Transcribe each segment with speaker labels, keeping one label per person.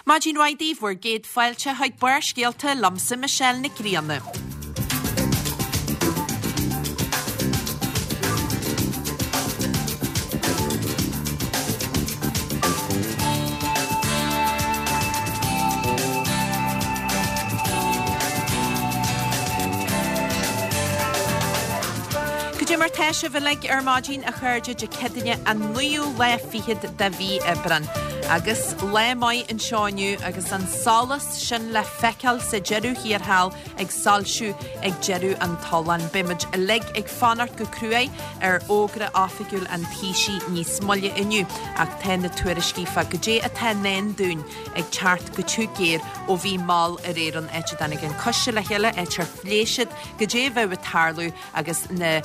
Speaker 1: Maidin mhaith daoibh, bhur gcéad fáilte chuig Barrscéalta liomsa Michelle Nic Grianna. Goidé mar tá sibh uilig ar maidin a chairde Dé Céadaoine an naoú lá fichead de mhí Aibreán. Agus lá maith anseo inniu agus an solas sin le feiceáil sa deireadh thiar thall ag soilsiú ag deireadh an tolláin. Beidh muid uilig ag fanacht go cruaidh ar fhógra oifigiúil an Taoisigh níos moille inniu ach tá na tuairiscí fá goidé atá i ndán dúinn ag teacht go tiubh géar ó bhí mall aréir ann áit a dtáinig an coiste le chéile, áit ar phléigh siad goidé a bheadh ag tarlú agus na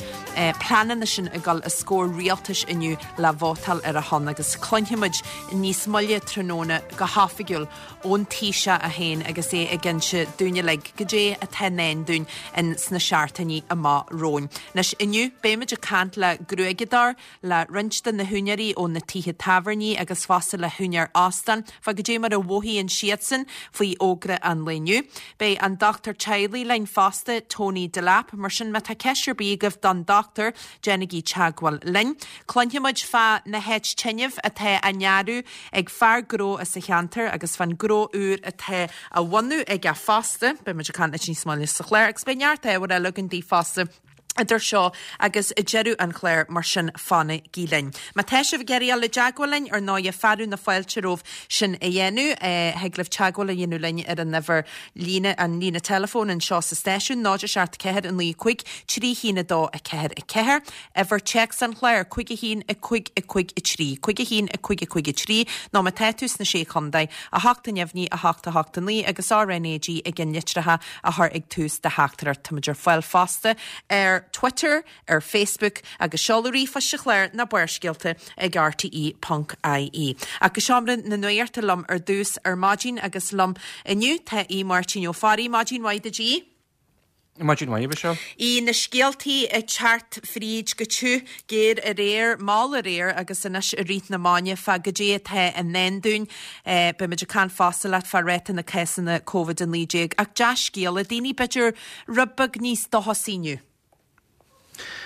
Speaker 1: pleananna sin ag dul os comhair rialtais inniu le vótáil ar a shon agus cluinfimid níos moille tráthnóna go hoifigiúil ón Taoiseach é féin agus é ag inse dúinn uilig goidé atá i ndán dúinn in sna seachtainí amach romhainn. Anois inniu beimid ag caint le gruaigeadóir, le roinnt de na húinéirí ó na tithe tábhairní agus fosta le húinéir óstán fá goidé mar a mhothaíonn siadsan faoi fhógra an lae inniu. Beidh an dochtúir teaghlaigh linn fosta, Tony Delap, mar sin má tá ceist ar bith agaibh don dochtúir, déanaigí teagmháil linn. Cluinfimid fá na háit tinrimh atá á ndearadh ag fear gnó as an cheantar agus fán gnó úr atá á bhunú aige fosta. Beidh muid ag caint leis níos moille sa chlár agus beidh neart ábhair eile againn daoibh fosta. Idir seo agus deireadh an chláir, mar sin fanaigí linn. Má tá sibh ag iarraidh dul i dteagmháil linn, ar ndóighe, fearadh na fáilte romhaibh sin a dhéanamh. Thig libh teagmháil a dhéanamh linn ar an uimhir líne, an líne teileafóin anseo sa stáisiún, 0 7 4 9 5 3 1 2 4 4. Uimhir téacs an chláir, 5 1 5 5 3, 5 1 5 5 3, nó má tá tú sna Sé Chontae, 8 neamhní 8 8 9 agus RNAG i gceannlitreacha a chur ag tús do theachtaireacht. Táimid ar fáil fosta ar Twitter, ar Facebook agus seoladh ríomhphoist an chláir ná Barrscéalta ag rte ponc ie. Ach go seomra na nuachta liom ar dtús ar maidin agus liom inniu tá Aodh Máirtín Ó Fearraigh. Maidin mhaith duit Aodh.
Speaker 2: Maidin mhaith, a Mhichelle.
Speaker 1: Aodh, na scéaltaí ag teacht fríd go tiubh géar aréir, mall aréir agus anois i rith na maidine fá goidé atá i ndán dúinn. Beimid ag caint fosta leat fá ráta na cásanna Covid-19 ach dea-scéala, daoine b'fhéidir rud beag níos dóchasaí inniu.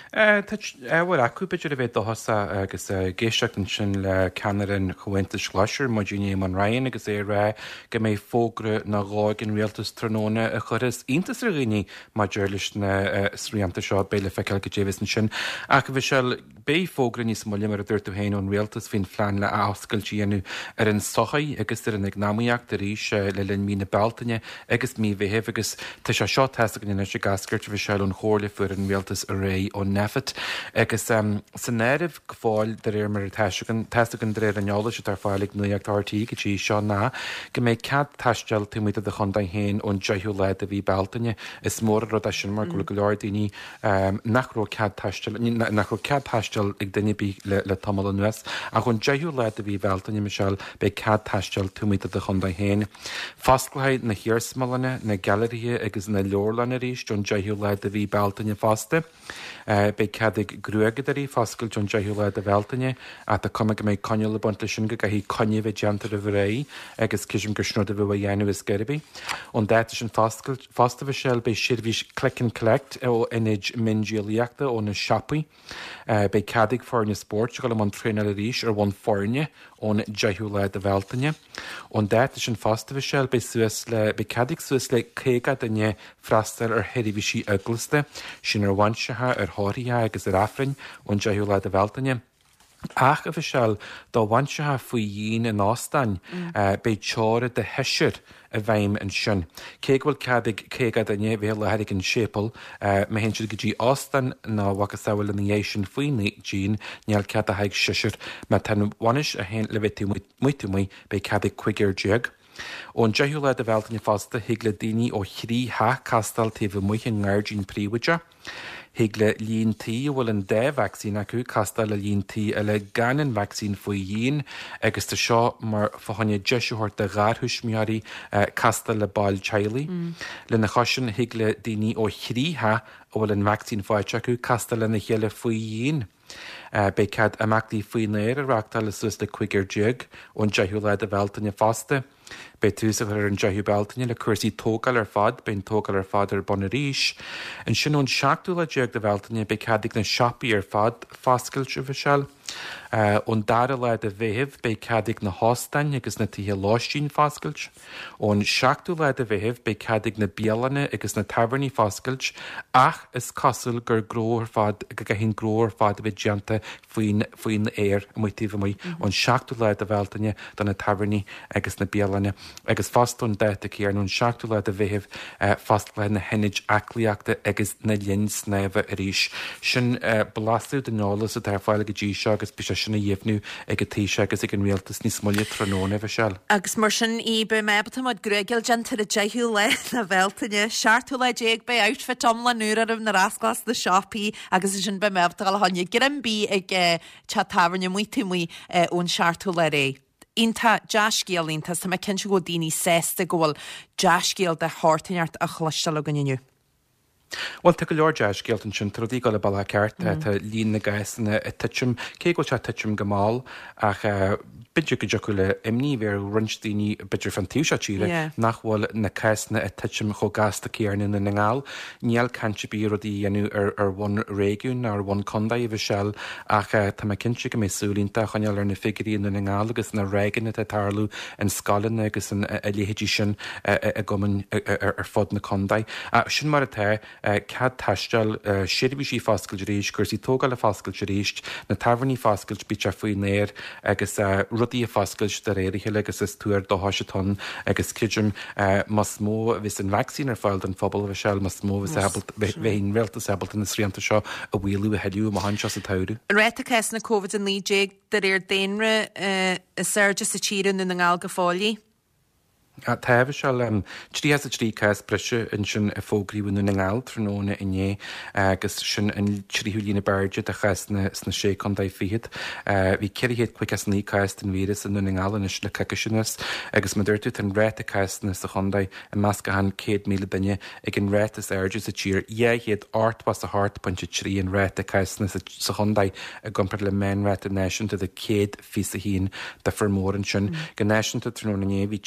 Speaker 2: Tá ábhar acu b'fhéidir a bheith dóchasach agus ag éisteacht ansin le ceannaire an Chomhaontais Ghlais ar maidin Éamon Ryan agus é ag rá go mbeidh fógra nó dhó ag an rialtas tráthnóna a chuirfeas iontas ar dhaoine maidir leis na srianta seo. Beidh le feiceáil goidé a bheas ansin. Ach a Mhichelle, Beidh fógra níos moille, mar a dúirt tú féin, ón Rialtas faoin phlean le athoscailt a dhéanamh ar an tsochaí agus ar an eacnamaíocht arís le linn mí na Bealtaine agus mí Mheithimh agus tá sé seo tá's againn anois ag eascairt, a Mhichelle, ón chomhairle a fuair an Rialtas aréir ó Nphet agus san áireamh go fóill de réir mar atá againn, tá's againn de réir an eolais atá ar fáil ag Nuacht RTÉ go dtí seo ná go mbeidh cead taisteal taobh amuigh de do chontae féin ón 10ú lá de mhí Bealtaine. Is mór an rud é sin mar go bhfuil go leor daoine nach raibh cead taistil, nach raibh cead taistil ag duine ar bith le tamall anuas. Ach ón 10ú lá de mhí Bhealtaine, Michelle, beidh cead taisteal taobh amuigh de do chontae féin. Fosclóidh na hiarsmalanna, na gailearaithe agus na leabharlanna arís ón 10ú lá de mhí Bealtaine fosta. Beidh cead ag gruaigeadóirí foscailt ón 10ú lá de Bhealtaine ach tá cuma go mbeidh coinníoll ag baint leis sin go gcaithfidh coinne a bheith déanta roimh ré agus creidim gur sin rud a bheadh á dhéanamh ar scor ar bith. Ón dáta sin foscailt, Fosta, a Mhichelle, beidh seirbhís click and collect ó ionaid miondíolaíochta ó na siopaí. Beidh cead ag foirne spóirt a dhul i mbun traenáil arís ar bhonn foirne ón 10ú lá de Bhealtaine. Ón dáta sin fosta, a Mhichelle, beidh suas le, beidh cead ag suas le 50 duine freastal ar sheirbhísí eaglasta, sin ar bhainseacha, ar thórraimh agus ar Aifrinn ón 10ú lá de Bhealtaine. Ach, a Mhichelle, do bhainseacha faoi dhíon in óstáin, beidh teora de sheisear i bhfeidhm ansin. Cé go bhfuil cead ag 50 duine bheith i láthair ag an séipéal, má théann siad go dtí óstán nó a mhacasamhail ina dhiaidh sin faoin díon, níl cead ach ag seisear. Má tá an bhainis í féin le bheith taobh amuigh, beidh cead ag 15. Ón 10ú lá de Bhealtaine fosta, thig le daoine ó thrí theach castáil taobh amuigh i ngairdín príobháideach. Thig le líon tí a bhfuil an dá vacsaín acu castáil le líon tí eile gan an vacsaín faoi dhíon agus tá seo mar fá choinne deis a thabhairt do gharthuismitheoirí castáil le baill teaghlaigh. Lena chois sin, thig le daoine ó thrí theach a bhfuil an vacsaín faighte acu castáil lena chéile faoi dhíon. Beidh cead imeachtaí faoin aer a reáchtáil le suas le 15 ón 10ú lá de Bhealtaine fosta. Beidh tús á chur ar an 10ú Bealtaine le cúrsaí tógáil ar fad, beidh an tógáil ar fad ar bun arís. Ansin ón seachtú lá déag de Bhealtaine beidh cead ag na siopaí ar fad foscailt, a Mhichelle. Ón dara lá de Mheitheamh beidh cead ag na hóstáin agus na tithe lóistín foscailt. Ón seachtú lá de Mheitheamh beidh cead ag na bialanna agus na tábhairní foscailt ach is cosúil gur gnó ar fad, go gcaithfidh an gnó ar fad a bheith déanta faoin faoin aer amuigh taobh amuigh ón seachtú lá de Bhealtaine do na tábhairní agus na bialanna agus fosta ón dáta céanna ón seachtú lá de Mheitheamh fosclóidh na hionaid aclaíochta agus na linn snámha arís. Sin blaiseadh den eolas atá ar fáil go dtí seo agus beidh sé sin á dheimhniú ag an Taoiseach agus ag an Rialtas níos moille tráthnóna, a Mhichelle.
Speaker 1: Agus mar sin í, beidh mé ábalta mo chuid gruaige déanta ar an deichiú lá de Bhealtaine, seachtú lá déag beidh outfit iomlán úr orm nuair a osclós na siopaí agus ansin beidh mé ábalta dul a choinne greim bídh ag teach tábhairne amuigh taobh amuigh ón seachtú lá ar aghaidh. Iontach, dea-scéal iontach, tá mé cinnte go bhfuil daoine sásta go bhfuil dea-scéal de shórt inteacht á chloisteáil againn inniu.
Speaker 2: Bhuel, tá go leor dea-scéalta ansin, tá rudaí ag dul an bealach ceart, tá líon na gcásanna ag titim, cé go bhfuil sé ag titim go mall, ach b'fhéidir go dtiocfadh le imní a bheith ar roinnt daoine, b'fhéidir fán taobh seo tíre, nach bhfuil na cásanna ag titim chomh gasta céanna i nDún na nGall. Níl caint ar bith ar rudaí a dhéanamh ar bhonn réigiúin ná ar bhonn contae, a Mhichelle, ach tá mé cinnte go mbeidh súil iontach á choinneáil ar na figiúirí i Ndún na nGall agus na ráigeanna atá ag tarlú in scoileanna agus a leithéidí sin i gcumainn ar fud na contae. Ach sin mar atá. cead taistil, seirbhísí foscailt arís, cúrsaí tógála foscailt arís, na tábhairní foscailt, bíodh sé faoin aer agus rudaí ag foscailt de réir a chéile agus is tuar dóchais atá ann agus creidim más mó a bheas an vacsaín ar fáil don phobal, a Mhichelle, más mó a bheas ábalta, bheidh an rialtas ábalta na srianta seo a mhaolú a thuilleadh amach anseo sa tsamhradh.
Speaker 1: Ráta cásanna Covid-19 de réir daonra is airde sa tír i nDún na nGall go fóill í.
Speaker 2: Tá, a Mhichelle, 33 cás breise ansin a fógraíodh i nDún na nGall tráthnóna inné agus sin an tríú líon ab airde de chásanna sna Sé Chontae Fichead. Bhí 459 cás den víreas i nDún na nGall anois le coicís anuas agus mar a dúirt tú tá an ráta cásanna sa chontae i measc achan 100,000 duine ag an ráta is airde sa tír, 288.3 an ráta cásanna sa chontae i gcomparáid le meánráta náisiúnta de 100 21 difear mór ansin. Go náisiúnta tráthnóna inné bhí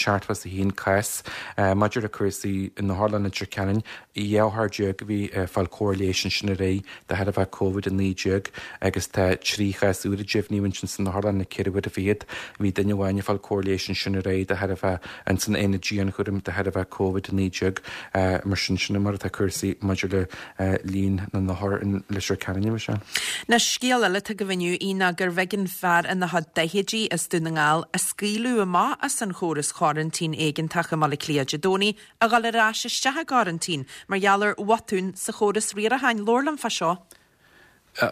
Speaker 2: 371 cás. Maidir le cúrsaí in Otharlann Leitir Ceanainn, 12 othar a bhí ag fáil cóir leighis ansin aréir de thairbhe Covid-19 agus tá 3 chás úr a deimhníodh ansin san otharlann le ceithre huaire fichead. Bhí duine amháin ag fáil cóir leighis ansin aréir de thairbhe ins an aonad dianchúraim de thairbhe Covid-19. Mar sin, sin mar atá cúrsaí maidir le líon na n-othar in Leitir Ceanainn, a Mhichelle.
Speaker 1: Anois, scéal eile atá agaibh inniu í ná gurbh éigean fear ina chuid daichidí as Dún na nGall a scaoileadh amach as an chóras choraintín éigeantach i mBaile Átha Cliath Dé Domhnaigh a dhul ar ais isteach i gcoraintín mar gheall ar bhotún sa chóras riaracháin. Labhair liom fá seo.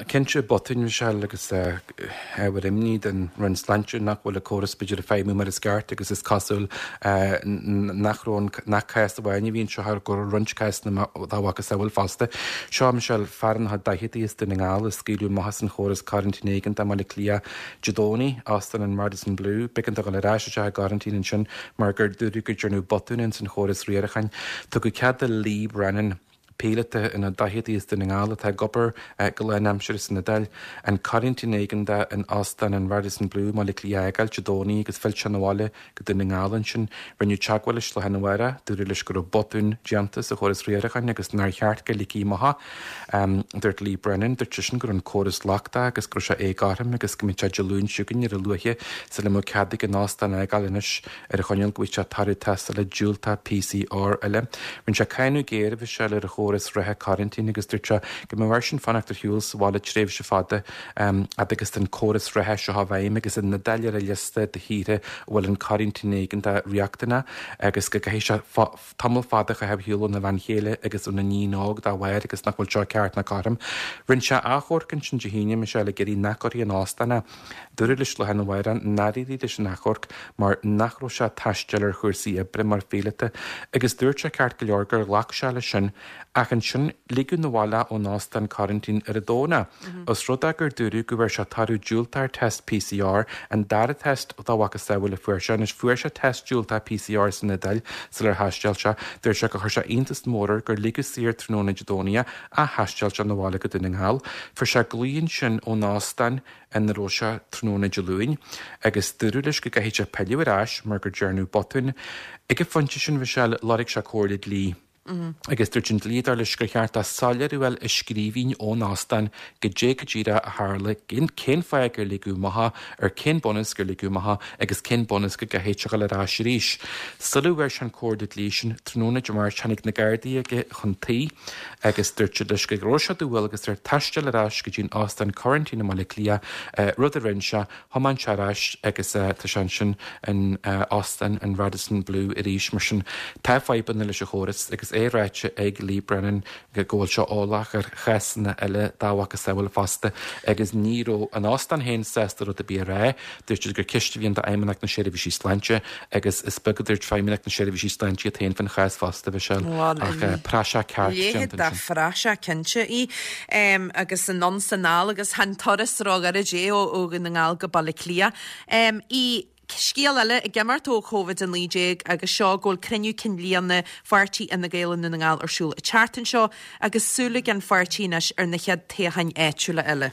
Speaker 2: Cinnte, botún, Michelle, agus ábhar imní don Roinn Sláinte nach bhfuil an córas b'fhéidir ag feidhmiú mar is ceart agus is cosúil nach raibh an, nach cás amháin a bhí anseo ach go raibh roinnt cásanna dá mhacasamhail fosta. Seo, Michelle, fear ina chuid daicheadaí as Dún na nGall a scaoileadh amach as an chóras coraintín éigeantach i mBaile Átha Cliath Dé Domhnaigh, Óstán an Radisson Blu. B'éigean dó dhul ar ais isteach i gcoraintín ansin mar gur dúradh go ndearnadh botún ins an chóras riaracháin. Tugadh cead do Lee Brennan, píolóta ina daicheadaí as Dún na nGall atá ag obair go lánaimseartha san Iodáil, an coraintín éigeantach in Óstán an Radisson Blu i mBaile Átha Cliath a fhágáil Dé Domhnaigh agus phill sé 'na bhaile go Dún na nGall ansin. Rinneadh teagmháil leis lá arna mhárach, dúradh leis go raibh botún déanta sa chóras riaracháin agus nár cheart go ligfí amach é. Dúirt Lee Brennan, dúirt seisean go raibh an córas lochtach agus go raibh sé éagothrom agus go mbeadh sé Dé Luain seo chugainn ar a luaithe sula mbeadh cead aige an óstán a fhágáil anois. ar an choinníoll go bhfaighidh sé toradh tástála diúltach PCR eile. Rinne sé cáineadh géar, a Mhichelle, ar an chóras reatha coraintín agus dúirt sé go mbeadh airsean fanacht ar shiúl sa bhaile tréimhse fada fhad agus tá an córas reatha seo i bhfeidhm agus an Iodáil ar an liosta de thíortha a bhfuil an coraintín éigeantach riachtanach agus go gcaithfidh sé tamall fada a chaitheamh ar shiúl óna bhean chéile agus óna iníon óg dá bharr agus nach bhfuil seo ceart ná cothrom. Rinne sé achomharc ansin Dé hAoine, Michelle, ag iarraidh nach gcuirfí in óstán é. Dúradh leis lá arna mhárach nár éirigh leis an achomharc mar nach raibh sé ag taisteal ar chúrsaí oibre mar phíolóta agus dúirt sé ceart go leor gur ghlac sé leis sin. Ach ansin, ligeadh na bhaile ón óstán coraintín ar an Domhnach. Os rud é gur dúradh go bhfuair sé toradh diúltach ar test PCR, an dara test dá mhacasamhail a fuair sé. Anois, fuair sé test diúltach PCR san Iodáil sular thaisteal sé. Dúirt sé gur chuir sé iontas mór air gur ligeadh saor tráthnóna Dé Domhnaigh é ach thaisteal sé na bhaile go Dún na nGall. Fuair sé glao ansin ón óstán ina raibh sé tráthnóna Dé Luain agus dúradh leis go gcaithfidh sé pilleadh ar ais mar gur dearnadh botún. Ag an phointe sin, Michelle, lorg sé comhairle dlí. Agus dúirt an dlíodóir leis gur cheart dó soiléiriú a fháil i scríbhinn ón óstán goidé go díreach a tharla, cén fáth gur ligeadh amach é, ar cén bunús gur ligeadh amach é agus cén bunús go gcaithfidh sé a dhul ar ais arís. Sula bhfuair sé an comhairle dlí sin, tráthnóna Dé Máirt tháinig na Gardaí aige chun tí agus dúirt siad leis go raibh sé de dhualgas air taisteal ar ais go dtí an óstán coraintín i mBaile Átha Cliath, rud a rinne sé. Thiomáin sé ar ais agus tá sé ansin in Óstán an Radisson Blu arís. Mar sin, tá fadhbanna leis an chóras agus é ráite ag Lee Brennan go bhfuil sé eolach ar chásanna eile dá mhacasamhail fosta agus ní raibh an óstán féin sásta rud ar bith a rá. Dúirt siad gur ceist a bhí ann d'Fheidhmeannacht na Seirbhísí Sláinte agus is beag a dúirt Feidhmeannacht na Seirbhísí Sláinte iad féin faoin chás fosta, Michelle, ach praiseach ceart
Speaker 1: déanta ansin. Leithéid de phraiseach cinnte í. Agus anonn 's anall agus chan turas róghairid é ó Dhún na nGall go Baile Átha Cliath. I scéal eile ag imeacht ó Covid-19 agus seo go bhfuil cruinniú cinn bliana pháirtí Fhine Gael i nDún na nGall ar siúl an tseachtain seo agus súil ag an pháirtí anois ar na chéad toghcháin áitiúla eile.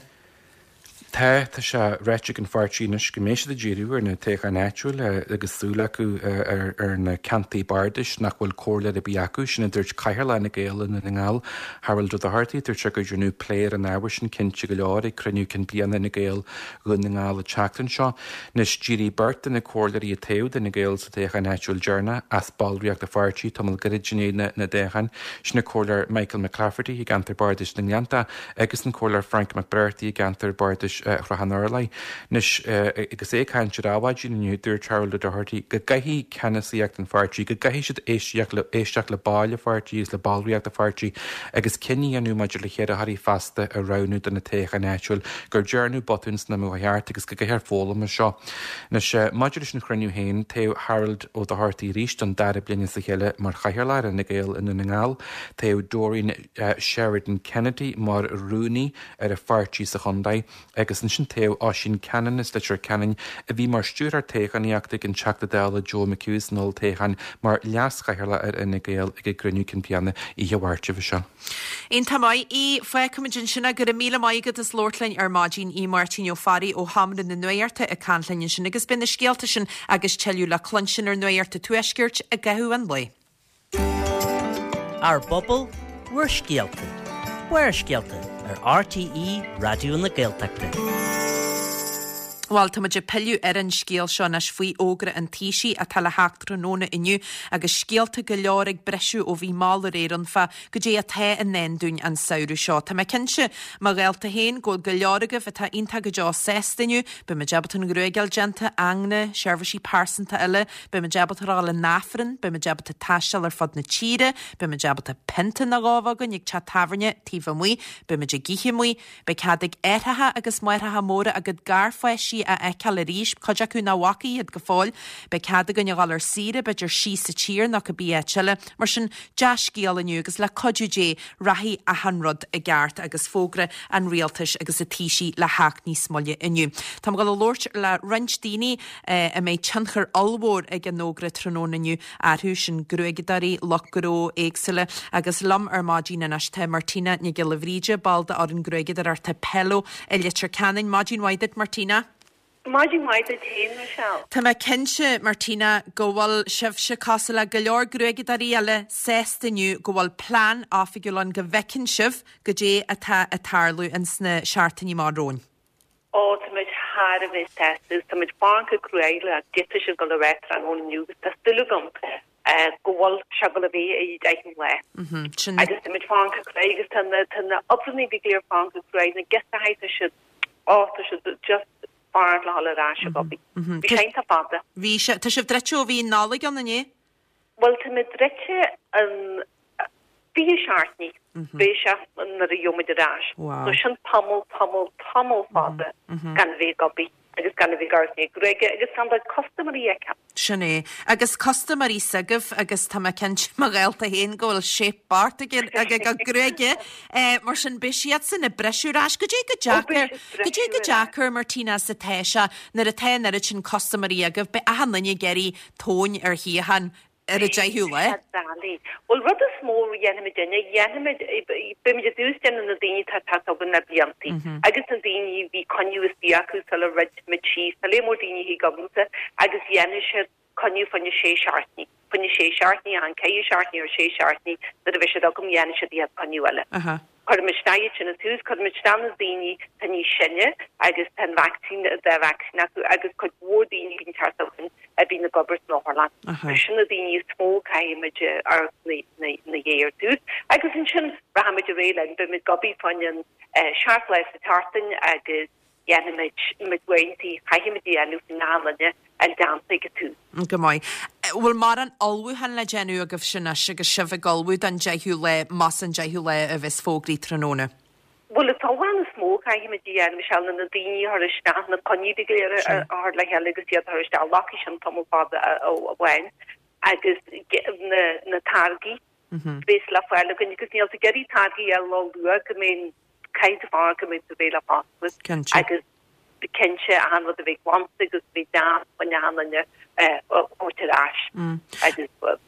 Speaker 2: Tá, tá sé ráite ag an pháirtí anois go mbeidh siad ag díriú ar na toghcháin áitiúla agus súil acu ar na ceantair bardais nach bhfuil comhairleoir ar bith acu. Sin a dúirt Cathaoirleach Fhine Gael i nDún na nGall, Harold Ó Dochartaigh. Dúirt sé gur deineadh plé ar an ábhar sin cinnte go leor ag cruinniú cinn bliana Fhine Gael Dhún na nGall an tseachtain seo. Anois, d'éirigh beirt de na comhairleoirí a toghadh d'Fhine Gael sa toghchán áitiúil deireanach as ballraíocht an pháirtí tamall gairid i ndiaidh na dtoghchán. Sin an Comhairleoir Michael McClafferty i gceantar bardais na nGleannta agus an Comhairleoir Frank McBrearty i gceantar bardais Shrath an Urláir. Anois, agus é ag caint ar Adhmhaidin inniu, dúirt Harold O'Doherty go gcaithfidh ceannasaíocht an pháirtí, go gcaithfidh siad éisteacht le éisteacht le baill an pháirtí agus le ballraíocht an pháirtí agus cinneadh a dhéanamh maidir le hiarrthóirí feasta a roghnú do na toghcháin áitiúil, gur dearnadh botún san am cheart agus go gcaithfear foghlaim as seo. Anois, maidir leis an chruinniú féin, toghadh Harold O'Doherty arís don dara bliain as a chéile mar Chathaoirleach ar Fhine Gael i nDún na nGall. Toghadh Doreen Sheridan Kennedy mar rúnaí ar an pháirtí sa chontae agus ansin toghadh Oisín Cannon as Leitir Ceanainn, a bhí mar stiúrthóir toghchánaíochta ag an Teachta Dála Joe McHugh san olltoghchán, mar leas-chathaoirleach ar Fhine Gael ag an gcruinniú cinn bliana oíche Mháirt roimhe seo.
Speaker 1: Iontach maith í. Fágfaimid ansin é. Go raibh míle maith agat as labhairt linn ar maidin. Í Máirtín Ó Fearraigh ó Sheomra na Nuachta ag caint linn ansin agus beidh na scéalta sin agus tuilleadh le cluinstin ar Nuacht an Tuaiscirt i gcaitheamh an lae.
Speaker 3: Ár bpobal, bhur scéalta. Barrscéalta ar RTÉ Raidió na Gaeltachta.
Speaker 1: Bhuel, tá muid ag pilleadh ar an scéal seo anois faoi fhógra an Taoisigh atá le theacht tráthnóna inniu agus scéalta go leor ag briseadh ó bhí mall aréir ann fá goidé atá i ndán dúinn an samhradh seo. Tá mé cinnte, mo ghaolta féin, go bhfuil go leor agaibh atá iontach go deo sásta inniu. Beidh muid ábalta an ghruaig a fháil déanta, ingne, seirbhísí pearsanta eile, Beidh muid ábalta a dhul in Aifreann, beidh muid ábalta taisteal ar fud na tíre, beidh muid ábalta pionta nó dhó a bheith againn ag teach tábhairne taobh amuigh, beidh muid ag ithe amuigh, beidh cead ag aithreacha agus máithreacha móra a gcuid garpháistí a fheiceáil arís, cuid acu nach bhfaca iad go fóill, beidh cead againn a dhul ar saoire, b'fhéidir síos sa tír nó cibé áit eile. Mar sin, dea-scéal inniu agus le cuidiú Dé rachaidh achan rud i gceart agus fógra an rialtais agus an Taoisigh le theacht níos moille inniu. Táim ag dul a labhairt le roinnt daoine a mbeidh tionchar ollmhór ag an fhógra tráthnóna inniu orthu, sin gruaigeadóirí, lucht gnó éagsúla agus liom ar maidin anois tá Martina Nic Giolla Bhríde, ball d'fhoireann gruaigeadóireachta Pelo i Leitir Ceanainn. Maidin mhaith duit Martina.
Speaker 4: Maidin mhaith duit féin, Michelle.
Speaker 1: Tá mé cinnte, Martina, go bhfuil sibhse, cosúil le go leor gruaigeadóirí eile, sásta inniu go bhfuil plean oifigiúil ann go bhfeiceann sibh goidé atá ag tarlú ins na seachtainí amach romhainn.
Speaker 4: Ó, tá muid thar a bheith sásta agus tá muid ag fanacht go cruaidh le goidé tá siad ag dul a rá tráthnóna inniu agus tá súil agam go bhfuil sé ag dul a bheith i dtaithí an lae. Agus tá muid ag fanacht go cruaidh agus tá na tá na oibreanna go léir ag fanacht go cruaidh, na girseachaí tá siad, ó tá siad just ag fanacht le dhul ar ais ag obair. Bhí sé iontach fada.
Speaker 1: Bhí sé. Tá sibh druidte ó bhí an Nollaig ann, an ea?
Speaker 4: Bhuel, tá muid druidte an 27 ní, beidh sé nuair a gheobhaidh muid ar ais. So sin tamall, tamall, tamall fada gan bheith ag obair. agus gan a bheith ag amharc na gruaige agus gan do custaiméirí a fheiceáil.
Speaker 1: Sin é. Agus custaiméirí s'agaibh agus tá mé cinnte mo ghaolta féin go bhfuil shape beart ag a gcuid gruaige. Mar sin beidh siadsan ag briseadh ar ais. Goidé chomh deacair, goidé chomh deacair Martina is atá sé nuair atá an oiread sin custaiméirí agaibh, beidh achan duine ag iarraidh tóin ar shuíochán ar an deichiú lá.
Speaker 4: Tá doiligh. Bhuel, rud is mó a dhéanfaimid inne, dhéanfaimid, beimid i dtús déanamh na daoine atá ag teacht chugainn le bliantaí agus na daoine a bhí coinne istigh acu sular dhruid muid síos, tá léar mór daoine a thig agamsa agus dhéanfaidh siad coinne fá choinne sé seachtainí, fá choinne sé seachtainí, achan ceithre seachtainí or sé seachtainí nuair a bheidh siad agam dhéanfaidh siad iad coinne eile. Cuirfimid isteach iad sin i dtús, cuirfimid isteach na daoine atá níos sine agus tá an vacsaín, dá vacsaín acu agus cuid mhór daoine a bhíonn teacht chugainn a bhíonn ag obair san otharlann. Sin na daoine is mó a caithfimid amharc ina dhiaidh ar dtús agus ansin rachaimid ar aghaidh linn, beimid ag obair fá choinne an seacht lá sa tseachtain agus dhéanfaimid muid uaireanta, caithfimid a dhéanamh faoin am linne an déanta ag an tús.
Speaker 1: Go maith. Bhfuil mórán ullmhúchán le déanamh agaibhse anois agus sibh ag ullmhú don deichiú lá, más an deichiú lá a bheas fógraithe tráthnóna?
Speaker 4: Bhuel, an t-ullmhúchán is mó a chaithfimid a dhéanamh, Michelle, ná na daoine a chur isteach, na coinní go léir a chur le chéile agus iad a chur isteach. Glacfaidh sin tamall fada amháin agus na táirgí a bheas le fáil againn agus níl tú ag iarraidh táirgí a fháil ró-luath go mbeidh Caithfidh tú fanacht go mbeidh tú réidh le foscladh agus cinnte achan rud a bheith glanta agus a bheith deas fá choinne achan duine a thabhairt ar ais agus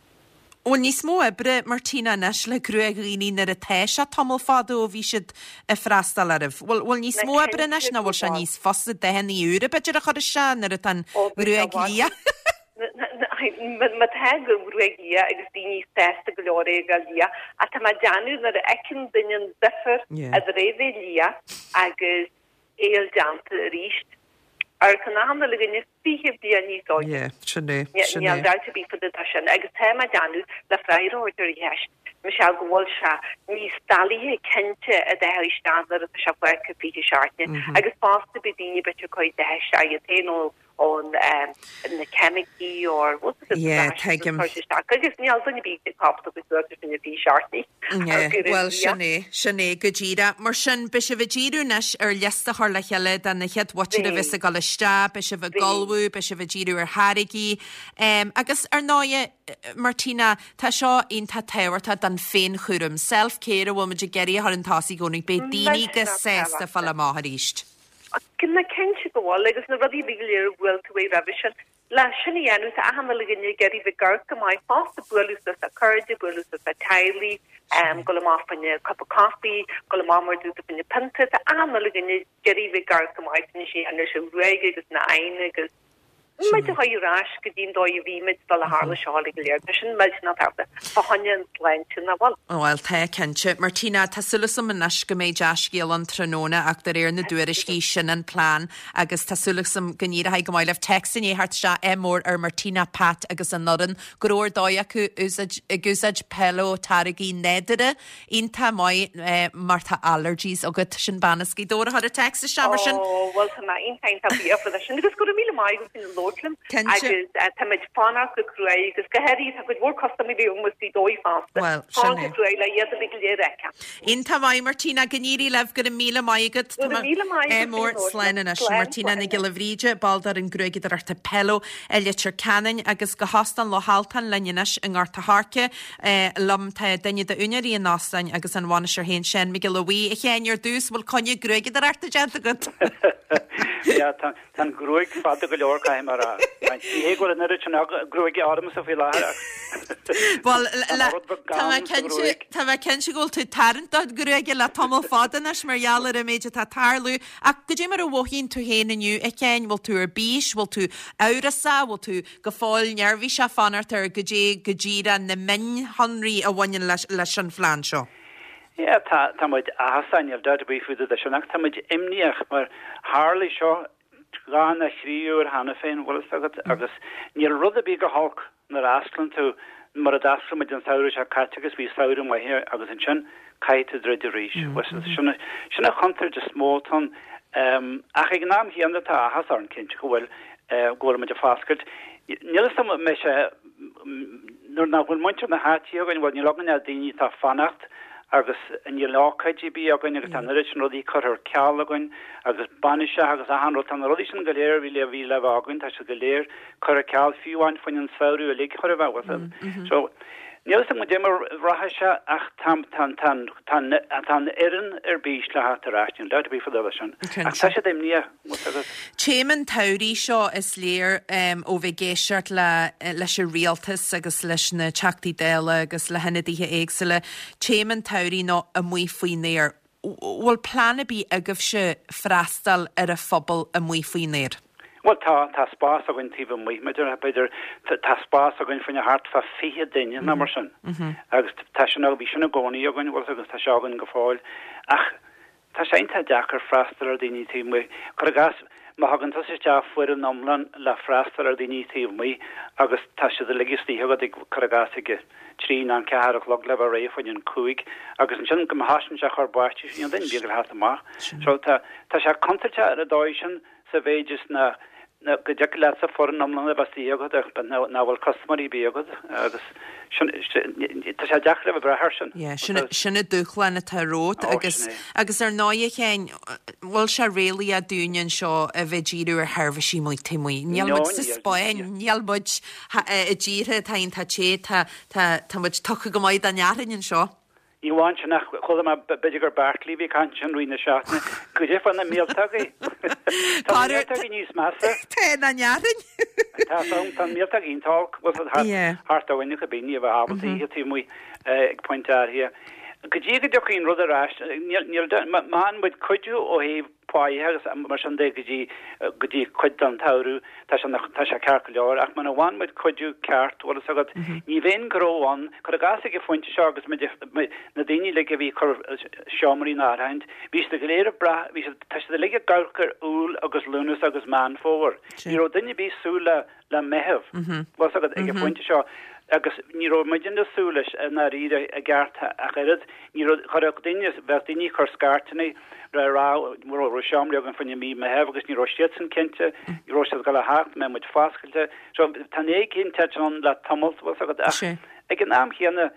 Speaker 1: Bhfuil níos mó oibre, Martina, anois le gruaig dhaoine nuair atá sé tamall fada ó bhí siad ag freastal oraibh? Bhfuil bhfuil níos mó oibre anois nó bhfuil sé níos fusa dathanna úra b'fhéidir a chur isteach nuair atá an ghruaig liath?
Speaker 4: Má tá an ghruaig liath agus daoine sásta go leor é a bheith liath, ach tá mé ag déanamh nuair a fheiceann duine an difear idir é bheith liath agus é a fháil déanta arís, amharcann achan uile dhuine 20 bliain níos óige. Níl dabht ar bith fá dtaobh de sin agus tá mé ag déanamh le freagra a thabhairt ar an cheist, Michelle, go bhfuil sé níos doilighe cinnte a dath a chur isteach nuair atá sé fágtha 20 seachtaine agus fosta beidh daoine b'fhéidir ag cur dath isteach iad féin ó ón na ceimicí or what's it
Speaker 1: Yeah, tuigim.
Speaker 4: agus níl duine ar bith ábalta go suas sin a bhí seartaí.
Speaker 1: Yeah, bhuel sin é, sin é go díreach. Mar sin, beidh sibh ag díriú anois ar liosta a chur le chéile de na chéad mhuintir a bheas ag dul isteach, beidh sibh ag ullmhú, beidh sibh ag díriú ar tháirgí. Agus ar ndóighe, Martina, tá seo iontach tábhachtach don féinchúram, self-care a bhfuil muid ag iarraidh a chur chun tosaigh i gcónaí, beidh daoine go sásta fáil amach arís.
Speaker 4: Ná cinnte go bhfuil, agus na rudaí go léir a bhuail tú uaidh roimhe sin. Le sin a dhéanamh, tá achan uile dhuine ag iarraidh bheith ag amharc go maith fosta, bualadh suas le cairde, bualadh suas le teaghlaigh, dul amach fá choinne cupa coffee, dul amach mar dúirt tú fá choinne pionta, tá achan uile dhuine ag iarraidh bheith ag amharc go maith, sin é sin an ghruaig agus na aghaidheanna agus. muid a chur ar ais go dtí an dóigh a bhí muid sular tharla seo uilig go léir. Tá sin millteanach tábhachtach fá choinne an tsláinte, nach bhfuil?
Speaker 1: Bhuel, tá, cinnte. Martina, tá súil agam anois go mbeidh dea-scéal ann tráthnóna ach de réir na dtuairiscí, sin an plean agus tá súil agam go n-éireoidh go maith libh. Téacs i ndiaidh theacht isteach, ádh mór ar Martina, Pat agus an fhoireann go raibh ar dóigh acu úsáid, ag úsáid Pelo táirgí nádúrtha. Iontach maith mar tá allergies agat. Sin bean as Gaoth Dobhair a chuir an téacs isteach mar sin.
Speaker 4: Ó, bhuel tá mé iontach iontach buíoch faoi sin agus go raibh míle maith agat faoina labhairt liom
Speaker 1: Cinnte.
Speaker 4: agus tá muid fanacht go cruaidh agus go háirithe tá cuid mhór custaiméirí agam as Gaoth Dobhair fosta.
Speaker 1: Bhuel, sin
Speaker 4: Fanacht
Speaker 1: é.
Speaker 4: go cruaidh le iad uilig go léir a fheiceáil.
Speaker 1: Iontach maith Martina, go n-éirí libh, go raibh míle maith agat.
Speaker 4: Go raibh míle maith agat
Speaker 1: Ádh mór,
Speaker 4: faoina labhairt
Speaker 1: slán
Speaker 4: liom.
Speaker 1: anois.
Speaker 4: Slán,
Speaker 1: Martina
Speaker 4: slán
Speaker 1: Nic
Speaker 4: anois.
Speaker 1: Giolla Bhríde, ball d'fhoireann gruaigeadóireachta Pelo i Leitir Ceanainn agus go hÓstán Loch Altan linn anois i nGort a' Choirce. Liom tá duine d'úinéirí an óstáin agus an bhainisteoir féin, Seán Mac Giolla Bhuí. A Sheáin, ar dtús, bhfuil coinne gruaigeadóireachta déanta agat?
Speaker 5: Yeah, tá an ghruaig fada go leor, caithfidh mé a rá. Ní hé go bhfuil an oiread sin gruaige ormsa faoi láthair ach
Speaker 1: Bhuel,
Speaker 5: tá an rud beag
Speaker 1: tá mé
Speaker 5: gann sa
Speaker 1: cinnte,
Speaker 5: ghruaig.
Speaker 1: tá mé cinnte go bhfuil tú ag tarraingt do ghruaige le tamall fada anois mar gheall ar an méid atá ag tarlú. Ach goidé mar a mhothaíonn tú féin inniu, a Sheáin? Bhfuil tú ar bís? Bhfuil tú amhrasach? Bhfuil tú go fóill neirbhíseach fanacht ar goidé go díreach na mionshonraí a bhaineann leis an phlean seo.
Speaker 5: Yeah, tá, tá muid áthasach, níl dabht ar bith faoi dtaobh de sin, ach tá muid imníoch mar tharlaigh seo dhá nó thrí uair cheana féin, bhfuil fhios agat, agus níl rud ar bith go holc nuair a osclaíonn tú, mar a d'oscail muid an samhradh seo caite agus bhí samhradh maith agus ansin caithfidh tú druid arís. Bhfuil fhios agat, sin, sin an chontúirt is mó atá ann. Ach ag an am chéanna tá áthas orainn cinnte go bhfuil go bhfuil muid ag foscailt. Níl fhios agam an mbeidh sé nuair nach bhfuil muintir na háite againn, bhuel níl againn ach daoine atá ag fanacht. Agus níl ócáid ar bith againn agus tá an oiread sin rudaí curtha ar ceal againn agus bainiseacha agus achan rud, tá na rudaí sin go léir a bhí le bhí le bheith againn, tá siad go léir curtha ar ceal, fiú amháin faoin an samhradh uilig chóir a bheith, bhfuil a fhios agat. So, níl a fhios agam goidé mar a rachaidh sé ach tá, tá, tá, tá an, tá an fhoireann ar bís le theacht ar ais, níl dabht ar bith fá dtaobh de sin. Ach tá siad imníoch.
Speaker 1: Téama an tsamhraidh seo, is léir ó bheith ag éisteacht leis an rialtas agus leis na Teachtaí Dála agus le hionadaithe éagsúla, téama an tsamhraidh ná amuigh faoin aer. Bhfuil plean ar bith agaibhse freastal ar an phobal amuigh faoin aer?
Speaker 5: Bhuel tá, tá spás againn taobh amuigh, b'fhéidir, tá spás againn fá choinne thart fá 20 duine nó mar sin. Agus tá sin, bhí sin i gcónaí againn, bhfuil a fhios agat, agus tá sé againn go fóill. Ach Tá sé iontach deacair freastal ar dhaoine taobh amuigh. Cuir i gcás, má thugann tusa isteach foireann iomlán le freastal ar dhaoine taobh amuigh agus tá siad uilig istigh agat ag, cuir i gcás, ag a trí nó an ceathair a chlog le bheith réidh fá choinne an cúig agus ansin go má thosaíonn sé ag cur báistí, níl duine ar bith ag teacht amach. So tá, tá sé contúirteach ar an dóigh sin sa mhéid is ná go dtiocfadh leatsa foireann iomlán a bheith istigh agat ach nach bhfuil custaiméirí ar bith agat agus sin, tá sé deacair a bheith ag brath air sin.
Speaker 1: Yeah, sin, sin an dúshlán atá romhat agus, agus ar ndóigh a Sheáin, bhfuil sé réalaíoch dúinne anseo a bheith ag díriú ar sheirbhísí amuigh taobh amuigh. Níl muid sa Spáinn, níl muid i dtíortha atá iontach te, tá, tá, tá muid tugtha go maith don fhearthainn anseo.
Speaker 5: Ní amháin sin ach chuala mé, b'fhéidir gur Bartley a bhí ag caint ansin i rith na seachtaine, goidé fá na míoltógaí. Tá na míoltógaí níos measa.
Speaker 1: Tá na fhearthainn.
Speaker 5: Tá san, tá na míoltógaí iontach olc, bhfuil fhios agat, thart ó fhuinneog a bíonn, ní bheith ábalta ithe taobh amuigh ag pointe áirithe. Go dtí go dtiocfaidh an rud ar ais, níl, níl, má fhaigheann muid cuidiú ó thaobh páighe agus mar sin de go dtí, go dtí cuid den tsamhradh, tá sé, tá sé ceart go leor. Ach muna bhfaigheann muid cuidiú ceart, bhfuil fhios agat, ní bheidh an gnó ann. Cuir i gcás ag an phointe seo agus muid, na daoine uilig a bhí ag cur seomraí in áirithint, bhí siad go léir ag brath, bhí siad, tá siad uilig ag amharc ar Iúil agus Lúnasa agus Meán Fómhair. Ní raibh duine ar bith ag súil le, le Meitheamh, bhfuil fhios agat, ag an phointe seo agus ní raibh muidne ag súil leis i ndáiríre i gceart ach oiread. Ní raibh, chuirfeadh daoine, bheadh daoine ag cur scairteanna le rá go raibh seomraí againn fá choinne mí Meitheamh agus ní raibh siadsan cinnte, ní raibh siad ag dul a theacht, mbeadh muid foscailte. So tá an éiginnteacht ann le tamall, bhfuil fhios agat, ach ag an am chéanna,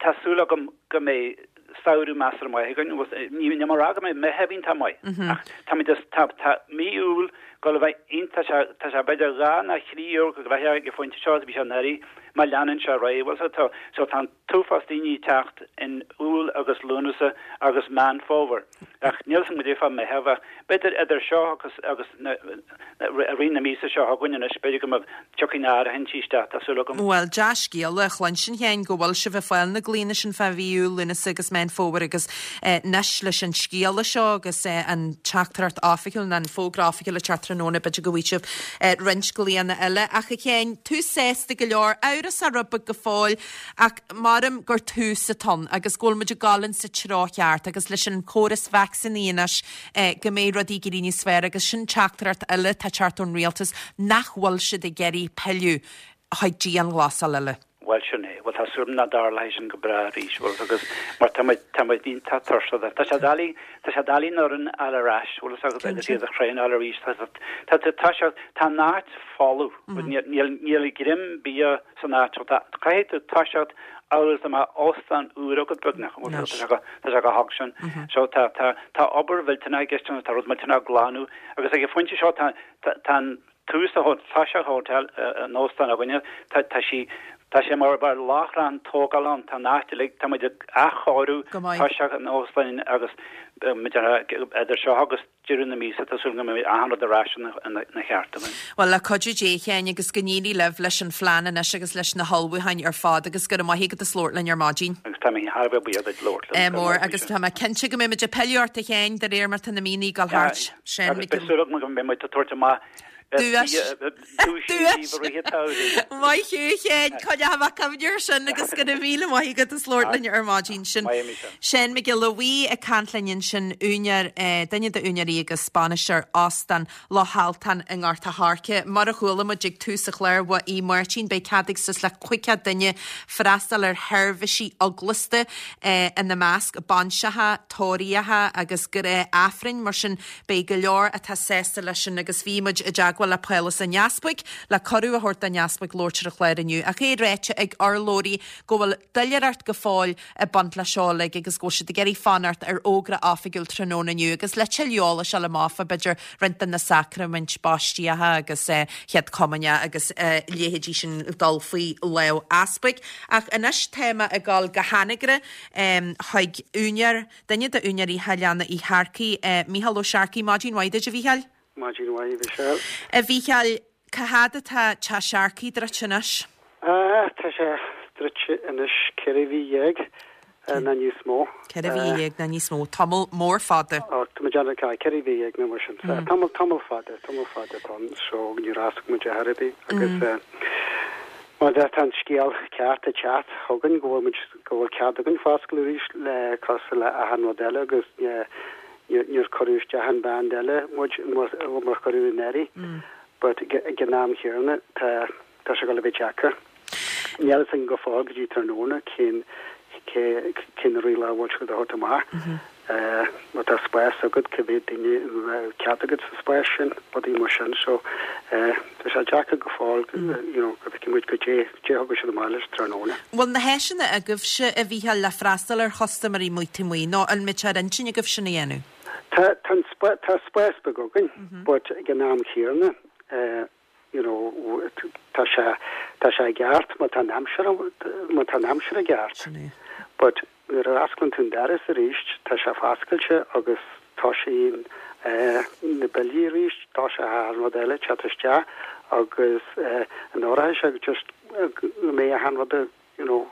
Speaker 5: Tá súil agam go mbeidh samhradh measartha maith againn. Níl mé ag rá go mbeidh Meitheamh iontach maith, ach táimid is tá tá mí Iúil ag dul a bheith iontach tá sé tá sé b'fhéidir dhá nó thrí uair chomh gnoitheach ag an phointe seo is a bhí sé anuraidh má leanann sé ar aghaidh. Bhuel so tá so tá an t-uafás daoine ag teacht in Iúil agus Lúnasa agus Meán Fómhair. Ach níl 'fhios agam goidé fá Meitheamh ach b'fhéidir idir seo agus agus na i rith na míosa seo chugainn anois b'fhéidir go mbeidh tiocfaidh na áirithintí isteach tá súil agam.
Speaker 1: Bhuel, dea-scéala a chluinstin a Sheáin go bhfuil sibh ag fáil na glaonna sin fá mhí Iúil, Lúnasa agus Meán Fómhair agus anois leis an scéala seo agus an teachtaireacht oifigiúil nó an fógra oifigiúil ag teacht tráthnóna b'fhéidir go bhfaighidh sibh roinnt glaonna eile. Ach a Sheáin, tú sásta go leor, amhrasach rud beag go fóill ach maram gur tús atá ann agus go bhfuil muid ag dul in sa treo cheart agus leis an chóras vacsaíní anois go mbeidh rudaí ag éirí níos fearr agus sin teachtaireacht eile atá ag teacht ón rialtas nach bhfuil siad ag iarraidh pilleadh chuig dianghlasáil eile.
Speaker 5: Bhuel sin é. Bhuel tá súil agam nach dtarlóidh sin go bráth arís, bhfuil fhios agat, mar tá muid, tá muid iontach tuirseach de. Tá sé doiligh, tá sé doiligh an fhoireann a fháil ar ais, bhfuil fhios agat, agus iad a thraenáil arís. Tá, tá, tá, tá sé, tá an áit folamh, níl, níl, níl greim bia san áit seo. Caithfidh tú toiseacht amhail is dá mbeadh óstán úr agat beagnach. Tá sé go tá sé chomh holc sin. So tá tá tá obair mhillteanach i gceist ann, tá rud millteanach a ghlanadh agus ag an phointe seo tá tá tá an tús a Taoiseach Hotel an óstán againne tá tá sí tá sé mar mar láithreán tógála ann tá an áit uilig tá muid ag athchóiriú toiseach an óstáin agus muid idir seo agus deireadh na míosa, tá súil go mbeidh achan rud ar ais ina cheart againn.
Speaker 1: Bhuel, le cuidiú Dé, a Sheáin, agus go n-éirí libh leis an phlean anois agus leis na hullmhúcháin ar fad agus go raibh maith agat as labhairt linn ar maidin.
Speaker 5: Agus tá mé thar a bheith buíoch duit labhairt
Speaker 1: liom. Mór, agus tá mé cinnte go mbeidh muid ag pilleadh ort, a Sheáin, de réir mar tá na míonna ag dul thart.
Speaker 5: Seán Agus beidh súil agam go mbeidh muid ag tabhairt amach
Speaker 1: Duais. Duais. Maith thú, a Sheáin. Coinneoidh mé cuimhne air sin agus go raibh míle maith agat as labhairt linn ar maidin. Sin Seán Mac Giolla Bhuí ag caint linn ansin, úinéir, duine d'úinéirí agus bainisteoir Óstán Loch Altan i nGort a' Choirce. Mar a chuala muid ag tús an chláir ó Aodh Máirtín, beidh cead ag suas le 50 duine freastal ar sheirbhísí eaglasta, ina measc, bainseacha, tórraíocha agus gnáth-Aifrinn. Mar sin, Beidh go leor atá sásta leis sin agus bhí muid i dteagmháil. dteagmháil le Pálás an Easpaig le cuireadh a thabhairt don Easpag labhairt ar an chlár inniu ach é ráite ag urlabhraí go bhfuil doiléireacht go fóill ag baint leis seo uilig agus go bhfuil siad ag iarraidh fanacht ar fhógra oifigiúil tráthnóna inniu agus le tuilleadh eolais a fháil amach fá b'fhéidir roinnt de na sacraimint baistíocha agus chéad chomaoineach agus leithéidí sin dul faoi lámh easpaig. Ach anois tá mé ag dul go hAnagaire chuig úinéir, duine d'úinéirí Theach Leanna Uí Shearcaigh, Mícheál Ó Searcaigh. Maidin mhaith duit, a Mhícheáil.
Speaker 6: Maidin mhaith, a Mhichelle.
Speaker 1: A Mhícheáil, cá fhad atá Teach Searcaigh druidte anois?
Speaker 6: Tá sé druidte anois 14 mhí nó níos mó.
Speaker 1: 14 mhí nó níos mó. Tamall mór fada.
Speaker 6: Tá muid ann, 14 mhí nó mar sin. Tamall, tamall fada, tamall fada atá ann so níor oscail muid ar chor ar bith agus má tá an scéal ceart ag teacht chugainn go bhfuil muid, go bhfuil cead againn foscladh arís le cosúil le achan rud eile agus níor cuireadh isteach in band eile muid mar cuireadh anuraidh but ag an am chéanna tá tá sé ag dul a bheith deacair. Níl a fhios againn go fóill go dtí tráthnóna cén cé cé na rialacha a bhfuil siad a thabhairt amach. Má tá spás agat cé mhéad duine a mbeadh cead agat sa spás sin, rudaí mar sin. So tá sé deacair go fóill you know go bhfeicfidh muid goidé goidé a thugann siad amach leis tráthnóna.
Speaker 1: Bhfuil na háiseanna agaibhse, a Mhícheáil, le freastal ar chustaiméirí amuigh taobh amuigh nó an mbeidh sé ar intinn agaibh sin a dhéanamh?
Speaker 6: Tá tá an tá spás beag againn but ag an am chéanna you know tá sé tá sé i gceart má tá an aimsir má tá an aimsir i gceart.
Speaker 1: Sin é.
Speaker 6: But nuair a osclaíonn tú an doras arís tá sé foscailte agus tosaíonn na billí arís, tosaíonn achan rud eile ag teacht isteach agus an áirithe sé just go mbeidh achan rud you know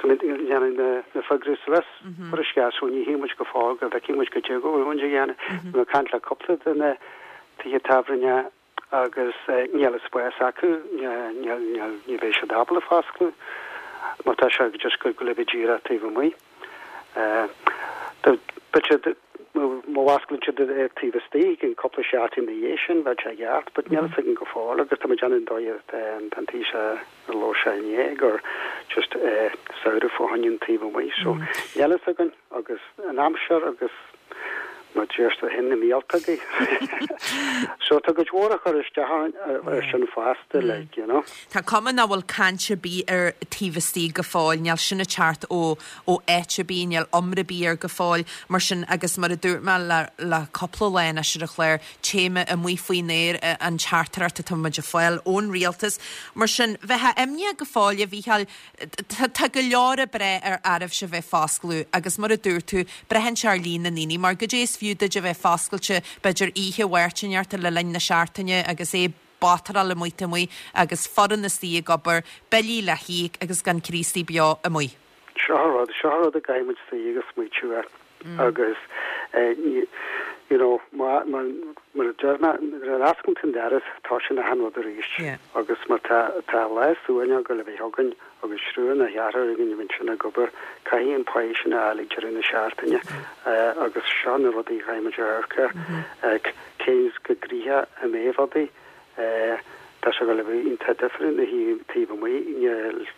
Speaker 6: go ndéanfaidh na na figiúirí suas mar is ceart so ní thuigeann muid go fóill go bhfeicfidh muid goidé go bhfuil muid a dhéanamh. Bhí mé ag caint le cúpla de na tithe tábhairne agus níl an spás acu, níl, níl, ní bheidh siad ábalta foscladh má tá sé just go go le bheith díreach taobh amuigh. B'fhéidir má osclaíonn siad é taobh istigh in cúpla seachtain ina dhiaidh sin bheadh sé i gceart, but níl a fhios againn go fóill agus tá muid déanamh an dóigh an Taoiseach a labhair sé inné gur just samhradh fá choinne an taobh amuigh so níl a fhios againn agus an aimsir agus mar deir tú féin na míoltógaí. So tá cuid mhór a chur isteach ar sin fosta like, you know.
Speaker 1: Tá cuma nach bhfuil caint ar bith ar taobh istigh go fóill, níl sin ag teacht ó ó áit ar bith, níl iomrá ar bith air go fóill. Mar sin, agus mar a dúirt mé le le cúpla lá anois ar an chlár, téama amuigh faoin aer an teachtaireacht atá muid ag fáil ón rialtas. Mar sin, bheifeá imníoch go fóill, a Mhícheáil, Tá go leor ag brath ar oraibhse bheith foscladh agus mar a dúirt tú, braitheann sé ar líon na ndaoine mar goidé is fiú duit a bheith foscailte b'fhéidir oíche Mháirt inteacht le linn na seachtaine agus é ag batráil amuigh taobh amuigh agus foireann istigh ag obair, billí le híoc agus gan Críostaí beo amuigh.
Speaker 6: Seo an rud, seo an rud a gcaithfidh muid suí agus smaoitiú air agus you know mar a deir mé, nuair a osclaíonn tú an doras tosaíonn achan rud arís agus má tá tá lá suaimhneach ag dul a bheith againn agus triúr nó ceathrar againn a bhíonn sin ag obair, caithfidh an pá sin a fháil ag deireadh na seachtaine agus seo na rudaí a chaithfidh muid a amharc air, cén go gnoitheach a mbeidh rudaí. Tá sé ag dul a bheith iontach difriúil na taobh amuigh,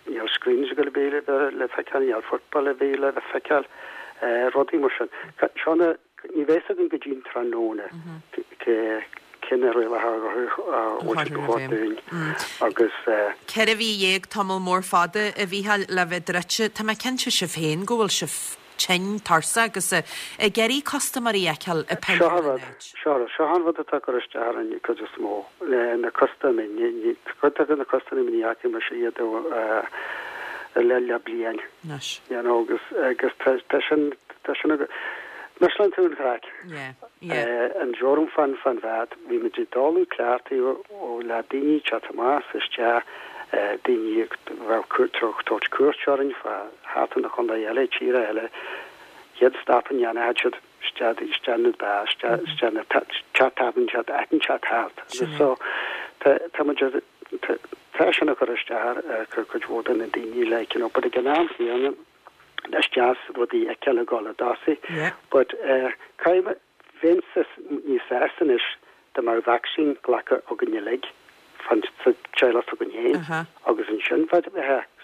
Speaker 6: níl screens ag dul a bheith le feiceáil, níl football a bheith le feiceáil, rudaí mar sin. Seo na, ní bheidh a fhios againn go dtí an tráthnóna cé na rialacha a bhfuil siad a thabhairt dúinn agus.
Speaker 1: 14 mhí, tamall mór fada, a Mhícheáil, le bheith druidte. Tá mé cinnte sibh féin go bhfuil sibh tinn, tuirseach agus ag iarraidh custaiméirí a fheiceáil ag
Speaker 6: Seo an rud, seo an rud, seo an rud atá ag cur isteach orainn an chuid is mó, na custaiméirí, cuid de na custaiméirí ní fhaca mise iad le le bliain.
Speaker 1: Anois.
Speaker 6: You know, agus agus tá tá sin tá sin ag misleann tú an chraic.
Speaker 1: Yeah, yeah.
Speaker 6: An deoram fan fan bheat, bhí muid ag dul cleachtaithe ó le daoine teacht amach is isteach, daoine a bheadh tabhairt cuairt orainn fá thart na chontae eile, tíre eile, chéad stop a ndéanfadh siad isteach isteach na beár, isteach isteach na teach tábhairne, teach áit teach thart. Agus so tá tá muid tá tá sin ag cur isteach ar ar cuid mhór de na daoine like you know but ag an am chéanna is deas rudaí a fheiceáil ag dul i dtosaigh but eh caithfidh Bheinnse níos sásta anois dá mbeadh vacsaín glactha againn uilig, fan sa teaghlach s'againn féin, agus ansin bheadh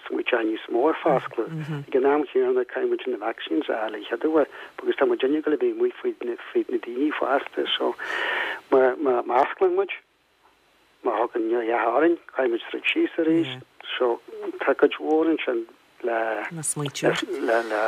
Speaker 6: smaoiteáil níos mó ar foscladh. Ag an am chéanna, caithfidh muid na vaccines a fháil an chéad uair, agus tá muid ag gabháil a bheith amuigh fríd na daoine fosta, so má osclaíonn muid. Má thagann neach orainn, caithfidh muid troid síos arís. So, tá cuid mhór ansin le.
Speaker 1: Le smaoitiú. Le, le.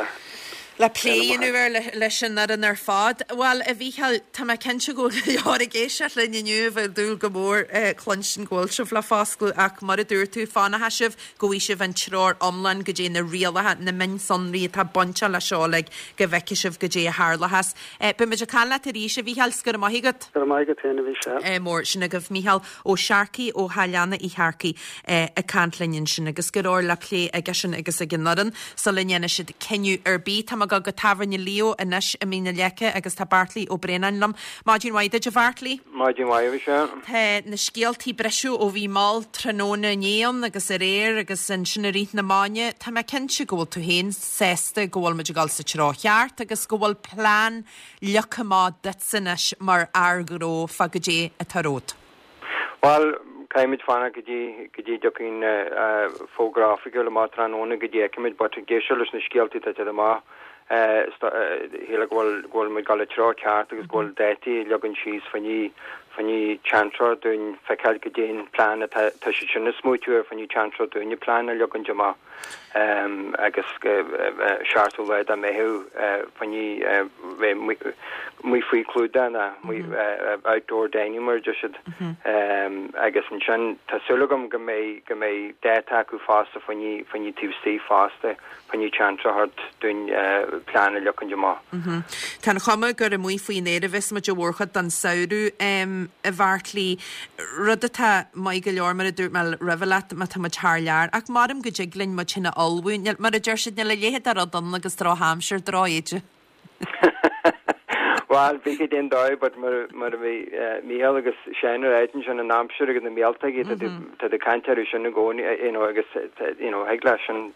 Speaker 1: Le plé a dhéanamh air leis an fhoireann ar fad. Bhuel, a Mhícheáil, tá mé cinnte go bhfuil go leor ag éisteacht linn inniu a bheadh ag dúil go mór cluinstin go bhfuil sibh le foscladh ach mar a dúirt tú, fanfaidh sibh go bhfaighidh sibh an treoir iomlán goidé na rialacha, na mionsonraí atá bainteach leis seo uilig, go bhfeicfidh sibh goidé a tharlóchas. Beidh muid ag caint leat arís, a Mhícheáil, 's go raibh maith agat.
Speaker 6: Go raibh maith agat féin, a Mhichelle.
Speaker 1: Mór sin agaibh Mícheál Ó Searcaigh ó Shaileanna Uí Shearcaigh ag caint linn ansin agus go leor le plé aigesean agus ag an fhoireann sula ndéanfaidh siad cinneadh ar bith. Tá mé ag dul go Tábhairne Leo anois i Mín na Leice agus tá Beartlaí Ó Braonáin liom. Maidin mhaith duit a Bheartlaí.
Speaker 7: Maidin mhaith a Mhichelle.
Speaker 1: Tá na scéaltaí ag briseadh ó bhí mall tráthnóna inné ann agus aréir agus ansin i rith na maidine. Tá mé cinnte go bhfuil tú féin sásta go bhfuil muid ag dul sa treo cheart agus go bhfuil plean leagtha amach duitse anois mar fhear gnó fá goidé atá romhat.
Speaker 7: Bhuel, caithfimid fanacht go dtí go dtí dtiocfaidh an fógra oifigiúil amach tráthnóna go dtí fheicfimid but ag éisteacht leis na scéaltaí atá ag teacht amach shílfeá go bhfuil go bhfuil muid ag dul sa treo ceart agus go bhfuil dátaí a leagan síos fá choinne fá choinne seans dúinn feiceáil goidé an plean atá tá siad sin ag smaoitiú ar fá choinne seans dúinn an plean a leagaint amach. agus 7ú lá de Mheitheamh fá choinne bheith amuigh faoi chlúdach nó outdoor dining mar a deir siad. Agus ansin tá súil agam go mbeidh go mbeidh dáta acu fosta fá choinne fá choinne taobh istigh fosta fá choinne chance a thabhairt dúinn plean a leagaint amach.
Speaker 1: Tá an chuma gur amuigh faoin aer a bheas muid an mhórchuid den samhradh, a Bheartlaí. Rud atá maith go leor, mar a dúirt mé roimhe leat, má tá muid thar lear. Ach maram go dtig linn muid féin a ullmhú. Níl, mar a deir siad, níl a leithéid de rud ann agus drochaimsir, droch-éide.
Speaker 7: Bhuel, bhí siad in dóigh, but mar, mar a bhí Mícheál agus Seán ar ráit ansin, an aimsir agus na míoltógaí, tá tú, tá tú ag caint orthu sin i gcónaí, you know, agus, you know, thig leis sin,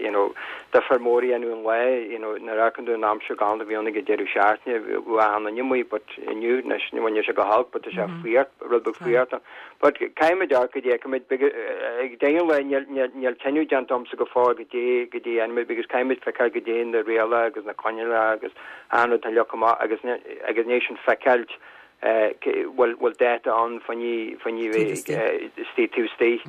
Speaker 7: you know, difear mór a dhéanamh an lá, you know, nuair a fheiceann tú an aimsir galánta a bhí ann ag an deireadh seachtaine, bhí achan duine amuigh, but inniu, anois, ní bhaineann sé go holc, but tá sé fuar, rud beag fuar. But caithfimid amharc goidé a fheicfimid, ag deireadh an lae, níl, níl, níl cinneadh déanta agamsa go fóill goidé, goidé a dhéanfaimid, because caithfimid feiceáil goidé na rialacha agus na coinníollacha agus achan rud atá leagtha amach agus, agus ina dhiaidh sin feiceáilt, bhfuil, bhfuil dáta ann fá choinne, fá choinne bheith istigh, taobh istigh.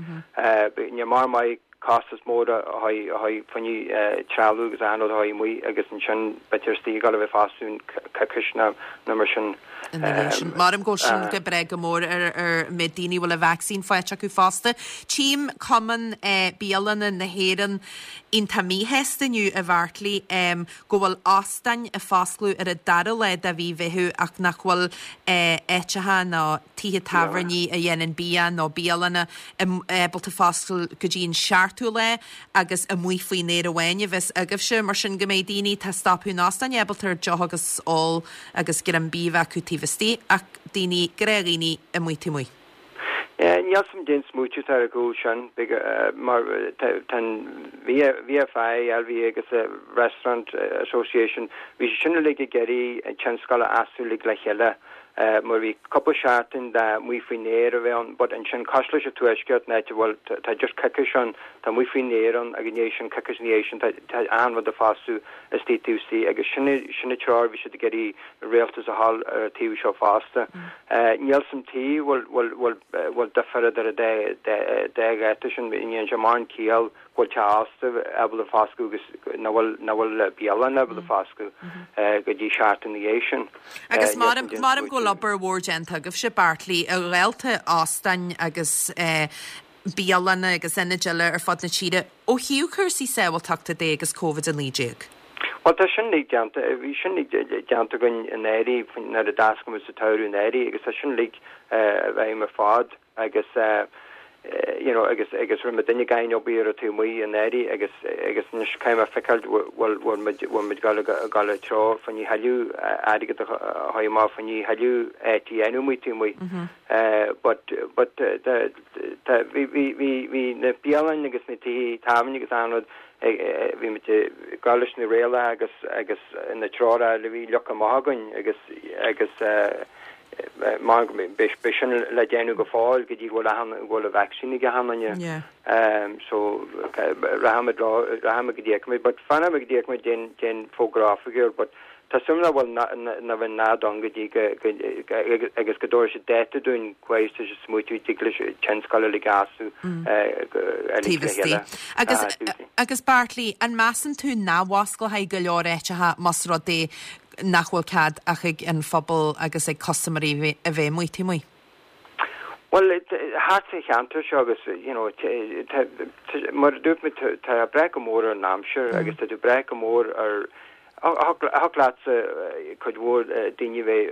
Speaker 7: Níl mar maith costas mór a haghaidh fá choinne trealamh agus achan rud a haghaidh amuigh agus ansin b'fhéidir istigh ag dul a bheith foscladh coicís nó mar sin.
Speaker 1: Ina dhiaidh sin, maram go bhfuil sin go breá go mór ar an méid daoine a bhfuil an vacsaín faighte acu fosta. Tchím Cumann Bialanna na hÉireann iontach míshásta inniu, a Bheartlaí, go bhfuil óstáin ag foscladh ar an dara lá de mhí Mheitheamh ach nach bhfuil áiteacha nó tithe tábhairní a dhéanann bia nó bialanna ábalta foscladh go dtí an seachtú lá agus amuigh faoin aer amháin a bheas agaibhse, mar sin go mbeidh daoine atá ag stopadh in óstáin ábalta ar deoch agus ól agus greim bídh a bheith acu taobh istigh ach daoine, gnáthdhaoine amuigh taobh amuigh.
Speaker 7: Níl 's a'm cén smaoitiú atá ar a gcúl sin, mar tá an VFI, LVA agus Restaurant Association, bhí siad sin uilig ag iarraidh an tionscal a fheasú uilig le chéile, mar bhí cúpla seachtain de amuigh faoin aer a bheith ann, but ansin cosúil leis an Tuaisceart, an áit a bhfuil, tá just coicís ann, tá amuigh faoin aer ann agus ina dhiaidh sin, coicís ina dhiaidh sin, tá achan rud ag foscladh istigh taobh istigh agus sin sin an treoir a bhí siad ag iarraidh an rialtas a fháil ar an taobh seo fosta. Níl 's a'm tuige bhfuil bhfuil bhfuil difear idir an dá dá dháta sin, ní dhéanann sé mórán ciall go bhfuil teach ósta ábalta foscladh agus nach bhfuil nach bhfuil bialann ábalta foscladh go dtí seachtain ina dhiaidh sin.
Speaker 1: Agus maram maram go bhfuil obair mhór déanta agaibhse, Beartlaí, a ghaolta óstáin agus bialanna agus ionaid eile ar fud na tíre ó thaobh cúrsaí sábháilteachta de agus Covid-19.
Speaker 7: Bhuel, tá sin uilig déanta, bhí sin uilig déanta againn anuraidh, nuair a d'oscail muid sa tsamhradh anuraidh agus tá sin uilig i bhfeidhm ar fad agus you know agus agus rinne muid duine againn obair ar an taobh amuigh anuraidh agus agus anois caithfidh mé feiceáil bhfuil bhfuil muid bhfuil muid ag dul ag dul i dtreo fá choinne thuilleadh airgead a chur amach fá choinne thuilleadh áit a dhéanamh amuigh taobh amuigh. But but tá bhí bhí bhí bhí na bialanna agus na tithe tábhairne agus achan rud bhí muid ag gabháil leis na rialacha agus agus na treoracha a bhí leagtha amach againn agus agus mar beidh beidh sin le déanamh go fóill go dtí go bhfuil achan go bhfuil an vaccine ag achan duine. So rachaimid rachaimid go dtí fheicfimid but fanfaimid go dtí fheicfimid cén cén fógra oifigiúil but. tá súil nach bhfuil nach bhfuil nád ann go dtí go agus go dtabharfaidh siad dáta dúinn cá huair tá siad ag smaoitiú dtig leis tionscal uilig a fhású
Speaker 1: uilig le chéile. Agus agus Bartley, an measann tú nach bhfosclóidh go leor áiteacha más rud é nach bhfuil cead ach ag an phobal agus ag custaiméirí a bheith amuigh taobh amuigh?
Speaker 7: Bhuel, thart sa cheantar seo agus, you know, mar a dúirt mé, tá tú ag brath go mór ar an aimsir agus tá tú ag brath go mór ar, thig leatsa cuid mhór daoine bheith,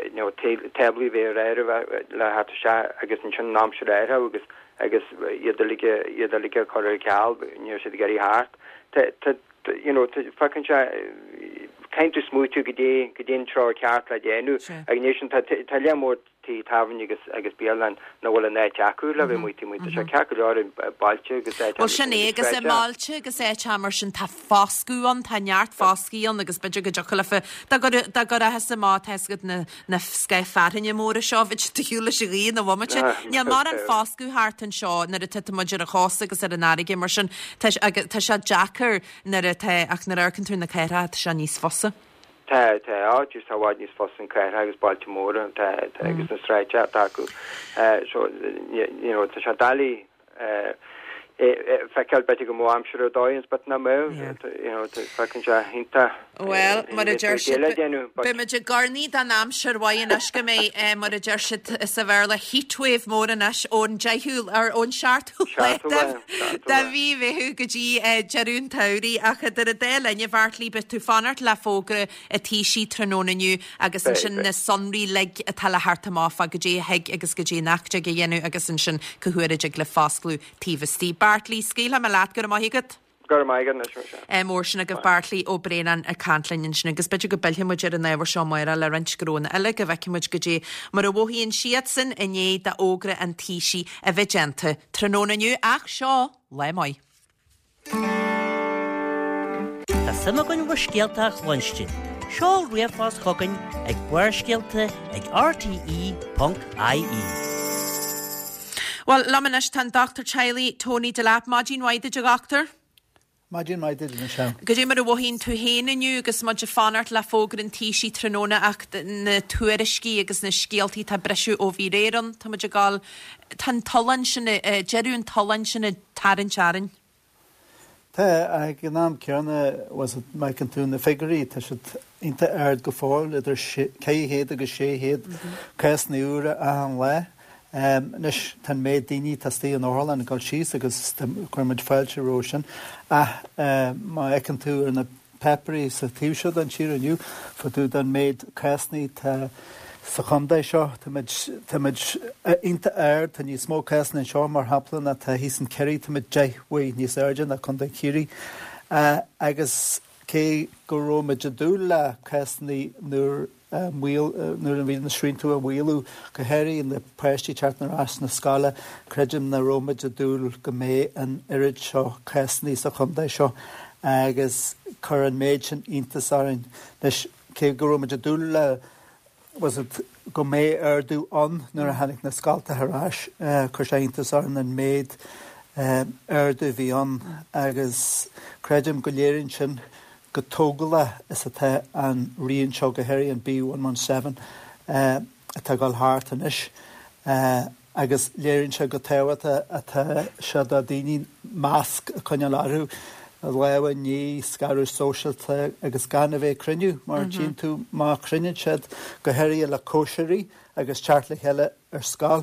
Speaker 7: you know, táblaí bheith ar áireamh le theacht isteach agus ansin an aimsir a athrú agus agus iad uilig, iad uilig a chur ar ceal, níl siad ag iarraidh theacht. Tá, tá, you know, feiceann sé, caithfidh tú smaoitiú goidé, goidé an treo ceart le déanamh agus anois tá, tá lear mór tithe tábhairne agus agus bialann nach bhfuil an áit acu le bheith amuigh taobh amuigh. Tá sé ceart go leor i bailte agus áiteacha
Speaker 1: Bhuel sin é agus i mbailte agus áiteacha mar sin tá foscadh ann, tá neart foscaidh ann agus b'fhéidir go dtiocfadh leofa, dá gcuir, dá gcuirfeá amach tá fhios agat na, na scáth fearthainne móra seo, bheadh siad ar shiúl leis an ghaoth ina bhomaite. Níl mórán foscadh thart anseo nuair atá muid ar an chósta agus ar an fharraige mar sin tá, agus tá sé deacair nuair atá, ach nuair a amharcann tú ar na cathracha tá sé níos fusa.
Speaker 7: Tá, tá, á, just tá i bhfad níos fusa an cathracha agus bailte móra, tá, tá, agus na sráideanna atá acu. So, you know, tá sé doiligh feiceáil b'fhéidir go mbeadh aimsir ar dóigh ann, but nach mbeadh, you know, feiceann sé iontach.
Speaker 1: Bhuel, mar a deir siad, beimid ag urnaí don aimsir mhaith anois go mbeidh, mar a deir siad sa Bhéarla, heatwave mór anois ón deichiú, or ón seachtú lá de mhí Mheitheamh go dtí deireadh an tsamhraidh. Ach idir an dá linn, a Bheairtlí, beidh tú fanacht le fógra an Taoisigh tráthnóna inniu agus ansin na sonraí uilig atá le theacht amach fá goidé a thig agus goidé nach dtig a dhéanamh agus ansin cá huair a dtig le foscladh taobh istigh. Beairtlí, scaoilfidh mé leat, go raibh maith agat.
Speaker 7: Go raibh maith agat anois, Michelle.
Speaker 1: Mór sin agaibh Beairtlí Ó Braonáin ag caint linn ansin agus b'fhéidir go bpillfidh muid ar an ábhar seo amárach le roinnt gnónna eile go bhfeicfidh muid goidé mar a mhothaíonn siadsan i ndiaidh d'fhógra an Taoisigh a bheith déanta tráthnóna inniu ach seo lá maith.
Speaker 3: Tá suim againn bhur scéalta a chluinstin. Seol ríomhphost chugainn ag Barrscéalta ag rte.ie.
Speaker 1: Bhuel, liom anois tá an Dochtúir Teaghlaigh Tony Delap. Maidin mhaith duit a dhochtúir.
Speaker 8: Maidin mhaith duit, Michelle.
Speaker 1: Goidé mar a mhothaíonn tú féin inniu agus muid ag fanacht le fógra an Taoisigh tráthnóna ach na tuairiscí agus na scéaltaí atá ag briseadh ó bhí aréir ann, tá muid ag gabháil, tá an tollán sin, deireadh an tolláin sin ag tarraingt orainn.
Speaker 8: Tá, ach ag an am céanna, má fheiceann tú na figiúirí, tá siad iontach ard go fóill, idir 400 agus 600 cásanna úra achan lá. Anois, tá an méid daoine atá istigh in otharlann ag dul síos agus cuireann muid fáilte roimhe sin. Ach má fheiceann tú ar na páipéirí sa taobh seo den tír inniu, fá dtaobh den méid cásanna atá sa chontae seo, tá muid, tá muid iontach ard, tá níos mó cásanna anseo, mar shampla, ná tá thíos in Ciarraí, tá muid 10 uair níos airde ná Contae Chiarraí. Agus cé go raibh muid ag dúil le cásanna nuair a nuair a bhí na srianta á maolú, go háirithe na páistí teacht ar ais na scoile, creidim nach raibh muid ag dúil go mbeidh an oiread seo cásanna sa chontae seo agus chuir an méid sin iontas orainn. Anois, cé go raibh muid ag dúil le was it go mbeidh ardú ann nuair a tháinig na scoltacha ar ais, chuir sé iontas orainn an méid ardú a bhí ann agus creidim go léiríonn sin go tógálach is atá an rian seo, go háirithe an B117 atá ag dul thart anois, agus léiríonn sé go tábhachtach atá sé do daoine masc a choinneáil orthu, lámha a ní, scaradh sóisialta agus gan a bheith ag cruinniú, mar tchíonn tú má chruinníonn siad, go háirithe le cóisirí agus teacht le chéile ar scoil,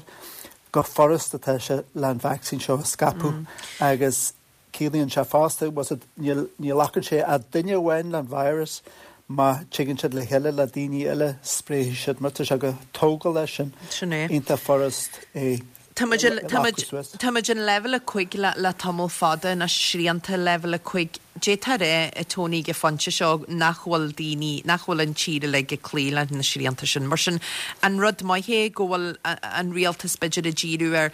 Speaker 8: go furast atá sé le an vacsaín seo a scaipeadh agus Ciallaíonn sé fosta, was it, ní ghlacann sé ach duine amháin le an virus, má tigeann siad le chéile le daoine eile, spréifidh siad, mar tá sé go tógálach sin,
Speaker 1: Sin é.
Speaker 8: iontach furast é
Speaker 1: Tá muid, tá muid, tá muid in leibhéal 5 le, le tamall fada anois, srianta leibhéal 5. D'fhéadfá a rá, a Tony, ag an phointe seo nach bhfuil daoine, nach bhfuil an tír uilig ag cloí leis na srianta sin. Mar sin, an rud maith é go bhfuil an rialtas b'fhéidir ag díriú ar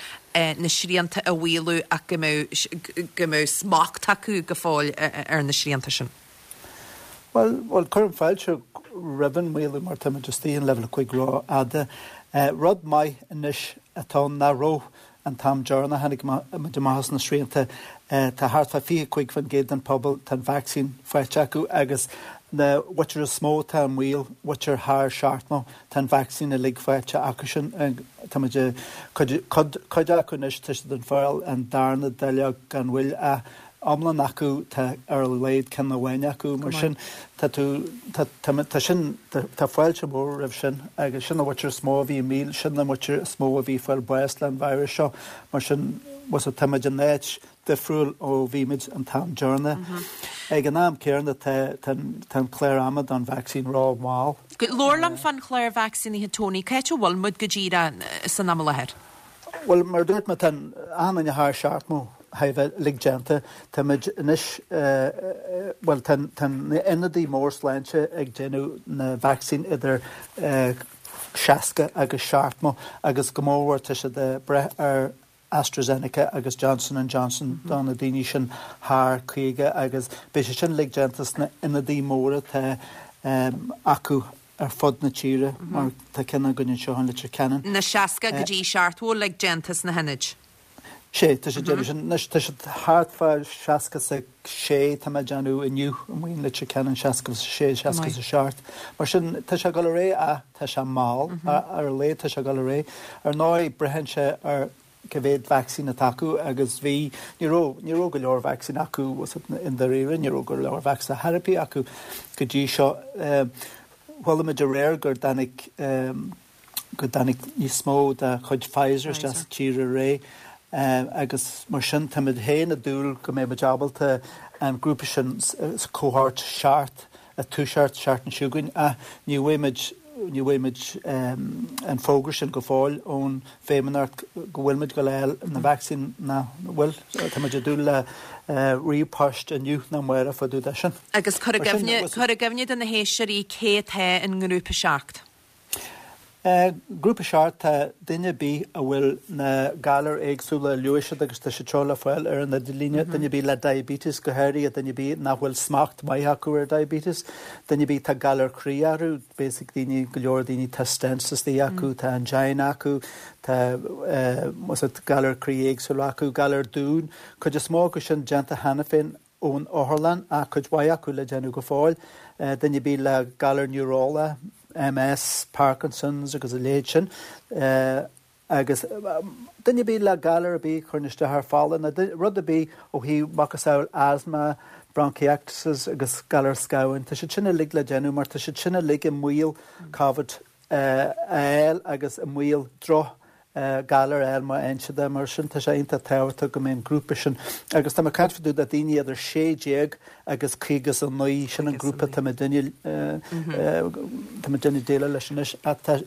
Speaker 1: na srianta a mhaolú ach go mbeadh, go mbeadh smacht acu go fóill ar na srianta sin?
Speaker 8: Bhuel, bhuel, cuirim fáilte roimh an maolú mar táimid istigh in leibhéal 5 rófhada. Rud maith anois atá ann nach raibh an t-am deireanach a tháinig muid amach as na srianta, tá thart fá 25% den phobal, tá an vacsaín faighte acu agus. Na mhuintir is mó atá i mbaol, muintir thar seachtmó, tá an vacsaín uilig faighte acusan. Tá muid ag, cuid, cuid acu anois, tá siad ag fáil an darna dáileog gan mhoill ach iomlán acu tá ar a laghad ceann amháin acu. Mar sin, tá tú, tá, tá, tá sin, tá fáilte mhór roimh sin agus sin an mhuintir is mó a bhí i mbaol, sin an mhuintir is mó a bhí ag fáil bás le an virus seo. Mar sin, tá muid in áit difriúil ó bhí muid an t-am deireanach. Ag an am céanna tá an clár ama don vacsaín ró-mhall.
Speaker 1: Labhair liom fán chlár vacsaínithe Tony, cá háit a bhfuil muid go díreach san am i láthair?
Speaker 8: Bhuel, mar a dúirt mé, tá achan duine thar seachtmó thar a bheith uilig déanta. Tá muid anois, bhuel, tá na ionadaí mór sláinte ag déanamh na vacsaín idir 60 agus seachtmó agus go mórmhór tá siad ag breith ar AstraZeneca agus Johnson and Johnson do na daoine sin thar 50 agus beidh sé sin uilig déanta sna ionadaí móra atá acu ar fud na tíre mar tá ceann againn anseo in Leitir Ceanainn.
Speaker 1: Na 60 go dtí 70 uilig déanta sna hionaid.
Speaker 8: Sé, tá siad déanamh sin. Anois tá siad thart fá 66 tá mé ag déanamh inniu amuigh in Leitir Ceanainn, 66, 67. Mar sin tá sé ag dul ar aghaidh ach tá sé mall, ar a laghad tá sé ag dul ar aghaidh. Ar ndóigh braitheann sé ar cá mhéad vacsaín atá acu agus bhí, ní raibh, ní raibh go leor vacsaín acu i ndáiríre, ní raibh go leor vacsaín ar bith acu go dtí seo. Chuala muid aréir gur dtáinig, go dtáinig níos mó de chuid Pfizer isteach sa tír aréir agus mar sin táimid féin ag dúil go mbeidh muid ábalta an grúpa sin sa cohort 7 a toiseacht an tseachtain seo chugainn ach ní bhfaighidh muid ní bhfaighidh muid an fógra sin go fóill ón bhFeidhmeannacht go bhfuil muid ag dul a fháil na vacsaín nach bhfuil. Tá muid ag dúil le ríomhphost inniu nó amárach fá dtaobh de sin.
Speaker 1: Agus cuir i gcuimhne, cuir i gcuimhne do na héisteoirí cé atá i ngrúpa 7.
Speaker 8: Grúpa 7, tá duine ar bith a bhfuil na galair éagsúla a luaigh siad agus tá siad seo le fáil ar an idirlíne, duine ar bith le diabetes go háirithe, duine ar bith nach bhfuil smacht maith acu ar diabetes, duine ar bith tá galar croí orthu, basic daoine, go leor daoine tá stents istigh acu, tá angina acu, tá galar croí éagsúla acu, galar dúin, cuid is mó acu sin déanta cheana féin. ón otharlann ach cuid mhaith acu le déanamh go fóill, duine ar bith le galar neurálach, MS, Parkinson's agus a leithéid sin, agus duine ar bith le galar ar bith a chuireann isteach ar fola nó rud ar bith ó thaobh macasamhail asthma, bronchiectasis agus galar scamháin, tá siad sin uilig le déanamh mar tá siad sin uilig i mbaol Covid a fháil agus i mbaol droch galar a fháil má fhaigheann siad é. Mar sin tá sé iontach tábhachtach go mbeidh an grúpa sin, agus tá mé ag caint fá dtaobh de daoine idir 16 agus 59, sin an grúpa atá muidinne, tá muidinne ag déileáil leis anois. Ach tá,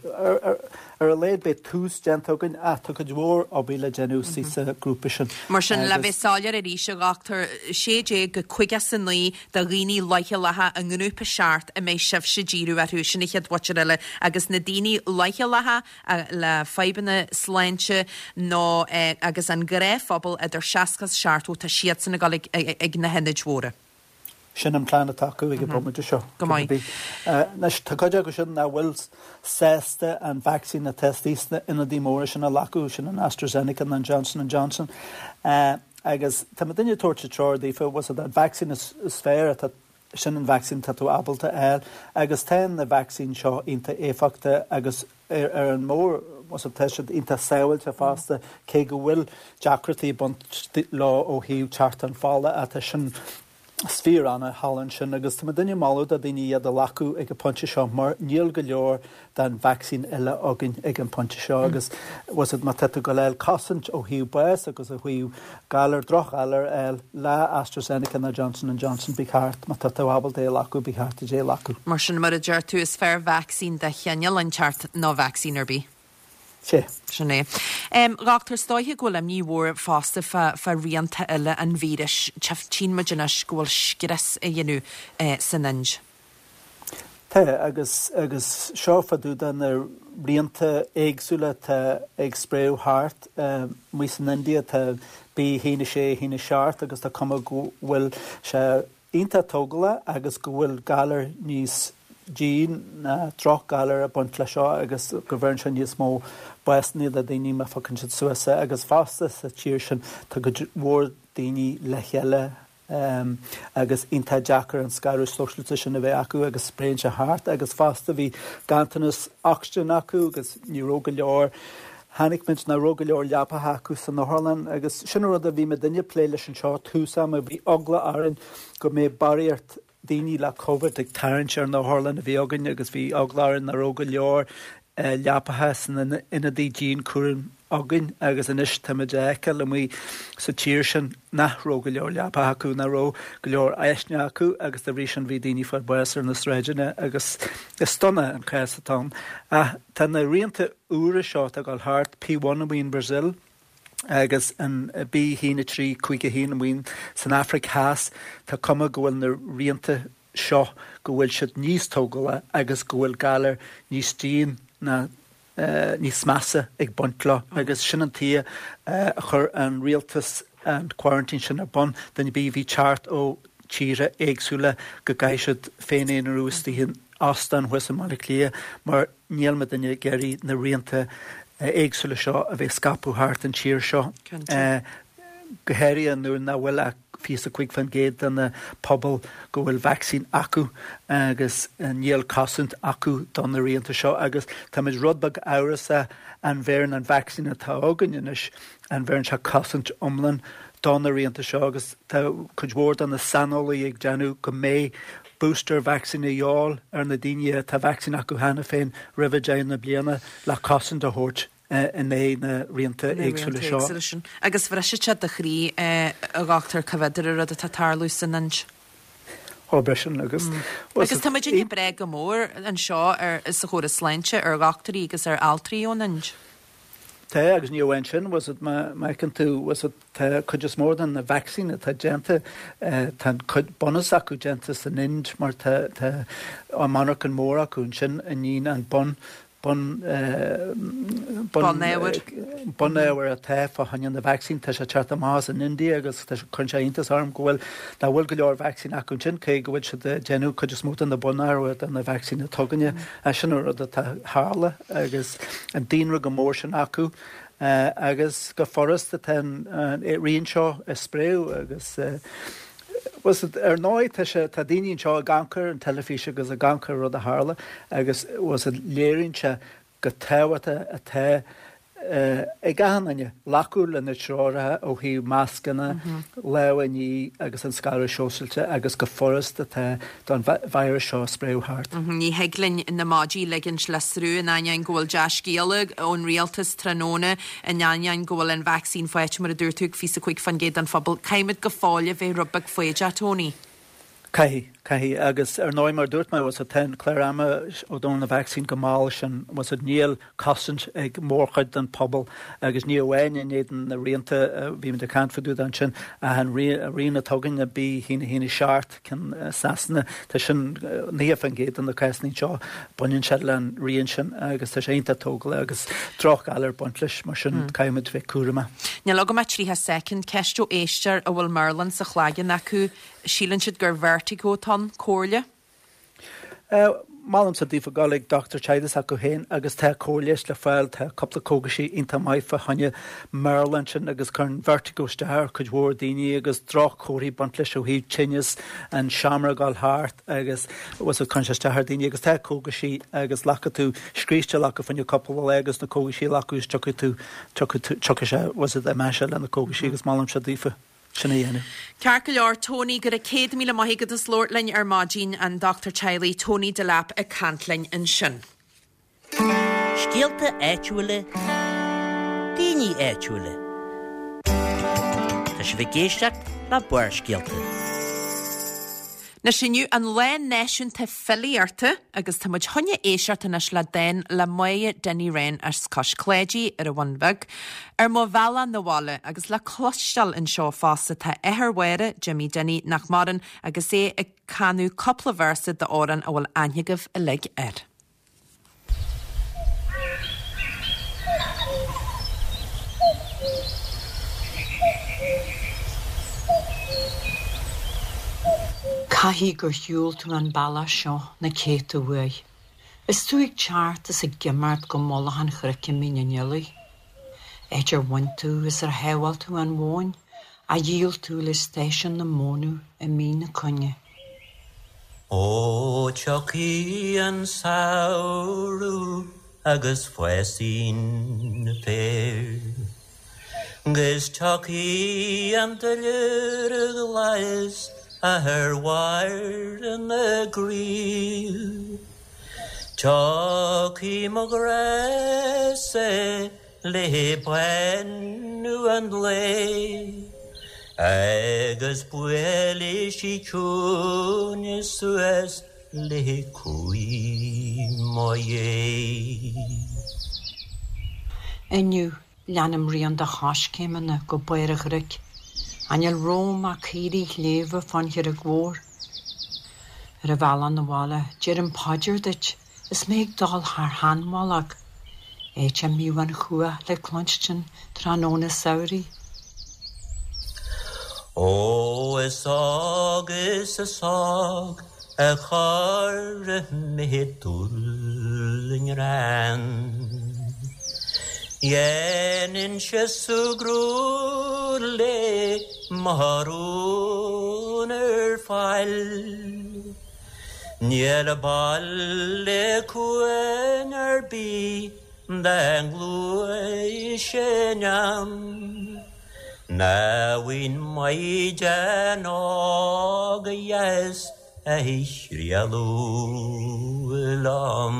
Speaker 8: ar a laghad beidh tús déanta againn ach tá cuid mhór obair le déanamh sa grúpa sin.
Speaker 1: Mar sin, le bheith soiléir arís, a dhochtúir, 16 go 59 de dhaoine leochaileacha i ngrúpa 7 a mbeidh sibhse ag díriú orthu, sin an chéad mhuintir eile, agus na daoine leochaileacha, le fadhbanna sláinte nó agus an gnáthphobal idir 60 is 70, tá siadsan ag dul ag na hionaid mhóra.
Speaker 8: Sin an plean atá acu ag an bhomaite seo.
Speaker 1: Go maith.
Speaker 8: Anois, tá cuid acu sin nach bhfuil sásta an vacsaín atá istigh sna ionadaí móra sin a ghlacadh, sin an AstraZeneca nó an Johnson and Johnson. Agus tá muidinne ag tabhairt an treoir daofa, bhfuil an vacsaín is fearr atá Sin an vacsaín atá tú ábalta a fháil agus tá na vacsaín seo iontach éifeachtach agus ar an mór tá siad iontach sábháilte fosta cé go bhfuil deacrachtaí ag baint leo ó thaobh teartán fola ach tá sin is fíor annamh thall ansin agus tá muidinne ag moladh do daoine iad a ghlacadh ag an pointe seo mar níl go leor den vacsaín eile againn ag an bpointe seo agus bhfuil má tá tú ag dul a fháil cosaint ó thaobh bás agus ó thaobh galar, drochghalar a fháil le AstraZeneca nó Johnson and Johnson, ba cheart, má tá tú ábalta é a ghlacadh, ba cheart duit é a ghlacadh.
Speaker 1: Mar sin, mar a deir tú, is fearr vacsaín de chineál inteacht ná vacsaín ar bith.
Speaker 8: Sea.
Speaker 1: Sin é. A dhochtúir, is dóiche go bhfuil imní mhór fosta fá fá rianta eile an víris. Tchíonn muid anois go bhfuil scrios á dhéanamh san Ind.
Speaker 8: Tá, agus, agus seo fá dtaobh de na rianta éagsúla atá ag spréadh thart. Amuigh san India tá B1 6, 1 7 agus tá cuma go bhfuil sé iontach tógálach agus go bhfuil galar níos déine ná drochghalar ag baint leis seo agus go bheireann sé níos mó básanna do daoine má phiocann siad suas é. Agus fosta sa tír sin tá cuid mhór daoine le chéile. Agus iontach deacair an scaradh sóisialta sin a bheith acu agus spréann sé thart agus fosta bhí ganntanas ocsaigin acu agus ní raibh go leor, chonaic muid nach raibh go leor leapacha acu san otharlann agus sin an rud a bhí muidinne ag plé leis anseo tús ama, bhí eagla orainn go mbeadh barraíocht daoine le Covid ag tarraingt ar na hotharlanna a bhí againn agus bhí eagla orainn nach raibh go leor leapacha sna hionadaí dianchúraim againn agus anois táimid a fheiceáil amuigh sa tír sin nach raibh go leor leapacha acu, nach raibh go leor áiseanna acu agus dá bhrí sin bhí daoine ag fáil bháis ar na sráideanna agus is dona an cás atá ann. Ach tá na rianta úra seo atá ag dul thart, P1 amuigh in Brazil, agus an B1 3 5 1 amuigh san Afraic Theas, tá cuma go bhfuil na rianta seo, go bhfuil siad níos tógála agus go bhfuil galar níos dian ná níos measa ag baint leo agus sin an tuige a chuir an rialtas an quarantine sin ar bun, duine ar bith a bhí ag teacht ó tíortha éagsúla go gcaithfidh siad féin-aonarú istigh in óstán thuas i mBaile Átha Cliath mar níl muidinne ag iarraidh na rianta éagsúla seo a bheith ag scaipeadh thart an tír seo, go háirithe nuair nach bhfuil ach 25% de na pobal go bhfuil vacsaín acu agus níl cosaint acu do na rianta seo agus táimid rud beag amhrasach an bheireann an vacsaín atá againn anois, an bheireann sé cosaint iomlán do na rianta seo agus tá cuid mhór de na saineolaithe ag déanamh go mbeidh booster vaccine a dhíobháil ar na daoine atá vacsaín acu cheana féin roimhe deireadh na bliana le cosaint a thabhairt in aghaidh na rianta éagsúla seo.
Speaker 1: Agus bhrisfeadh sé do chroí, a Dhochtúir Coimhéadar, an rud atá ag tarlú san Ind.
Speaker 8: Ó, briseann agus.
Speaker 1: Agus tá muidinne ag brath go mór anseo ar, sa chóras sláinte ar dhochtúirí agus ar altraí ón Ind.
Speaker 8: Tá, agus ní amháin sin, bhfuil 's agat, má fheiceann tú, bhfuil 's agat, tá cuid is mór de na vacsaíní atá déanta, tá an cuid bunús acu déanta san Ind mar tá, tá an monarchan mór acu ansin a níonn an bun, bun, bun,
Speaker 1: Bunábhar.
Speaker 8: bunábhar atá fá choinne na vacsaín, tá sé ag teacht amach as an India agus tá sé, cuireann sé iontas orm go bhfuil, nach bhfuil go leor vacsaín acu ansin, cé go bhfuil siad ag déanamh cuid is mó de na bunábhair de na vacsaíní atá againne. Sin an rud atá tharla agus an daonra chomh mór sin acu agus go furast atá an rian seo ag spréadh agus bhfuil 's agat, ar ndóigh tá sé, tá daoine anseo ag amharc ar an teilifís agus ag amharc ar an rud a tharla agus bhfuil 's agat, léiríonn sé chomh tábhachtach atá ag achan duine glacadh le na treoracha ó thaobh mascanna, lámha a ní agus an scaradh sóisialta agus go furast atá don virus seo spréadh thart.
Speaker 1: Ní thig linn na maidí a ligint le sruth in ainneoin go bhfuil dea-scéala ón rialtas tráthnóna, in ainneoin go bhfuil an vacsaín faighte, mar a dúirt tú, ag 25% den phobal. Caithfimid go fóill a bheith rud beag foighdeach, Tony.
Speaker 8: Caithfidh, caithfidh. Agus ar ndóigh, mar a dúirt mé, bhfuil 's agat, tá an clár ama ó dtaobh na vacsaín go mall sin, bhfuil 's agat, níl cosaint ag mórchuid den phobal agus ní amháin in éadan na rianta a bhí muid ag caint fá dtaobh de ansin ach an rian atá againn, B1 1 7, ceann Sasana, tá sin 90% de na cásanna anseo, baineann sé le an rian sin agus tá sé iontach tógálach agus drochghalar ag baint leis, mar sin caithfidh muid bheith cúramach.
Speaker 1: Níl agam ach 30 soicind. Ceist ó éisteoir a bhfuil meirleán sa chlaigeann acu. Síleann siad gur vertigo atá ann. Comhairle?
Speaker 8: Molaimse daofa dul ag dochtúir teaghlaigh s'acu féin agus tá cóir leighis le fáil, tá cúpla cógaisí iontach maith fá choinne meirleán sin agus cuireann vertigo isteach ar chuid mhór daoine agus droch-chomharthaí ag baint leis ó thaobh tinneas, an seomra ag dul thart agus bhfuil 's agat cuireann sé isteach ar daoine agus tá cógaisí agus glacfaidh tú scríste a ghlacadh fá choinne cúpla lá agus na cógaisí a ghlacadh is tiocfaidh tú, tiocfaidh tú, tiocfaidh sé, bhfuil 's agat, imeoidh sé le na cógaisí agus molaimse daofa. sin a dhéanamh.
Speaker 1: Ceart go leor, Tony, go raibh 100,000 maith agat as labhairt linn ar maidin, an dochtúir teaghlaigh Tony Delap ag caint linn ansin.
Speaker 3: Scéalta áitiúla, daoine áitiúla. Tá sibh ag éisteacht le Barrscéalta.
Speaker 1: Anois inniu an Lá Náisiúnta Filíochta agus tá muid chun éisteacht anois le dán le Máire Dinny Ryan as Cois Cláidí ar an Bhun Bheag, Ar mo bhealach 'na bhaile agus le cloisteáil anseo fosta tá athair Mháire, Jimmy Dinny, nach maireann, agus é ag canadh cúpla véarsa d'amhrán a bhfuil aithne agaibh uilig air.
Speaker 9: Caithfidh gur shiúil tú an bealach seo na céadta uair, is tú ag teacht is ag imeacht go mullach an chnoic i Mín an Fhilaigh, áit ar bhain tú is ar shábháil tú an mhóin. A dhíol tú le stáisiún na mónadh i Mín na Coinne.
Speaker 3: Ó tiocfaidh an samhradh agus fásfaidh an féar, 'Gus tiocfaidh an duilliúr glas ar bharr na gcraobh, Tiocfaidh mo ghrá-sa le bánú an lae agus buailfidh sí ciúin suas le cúig mo dhéidh.
Speaker 9: Inniu, leanaim rian do choiscéimeanna go barr an chnoic. Ach níl romham ach caoirigh shléibhe fán Charraig Mhór. Ar an bhealach 'na bhaile, deirim paidir duit. Is mé ag dul thar sheanmhullach, áit a mbíodh an chuach le cluinstin tráthnóna samhraidh.
Speaker 3: Ó is óg is is óg a chuir mé dúil i ngreann. Dhéanainnse súgradh le mo rún ar fáil. Níl baile cuain ar bith dá ngluaisfinn ann Ná bhfuil maighdean óg dheas a thriallódh liom.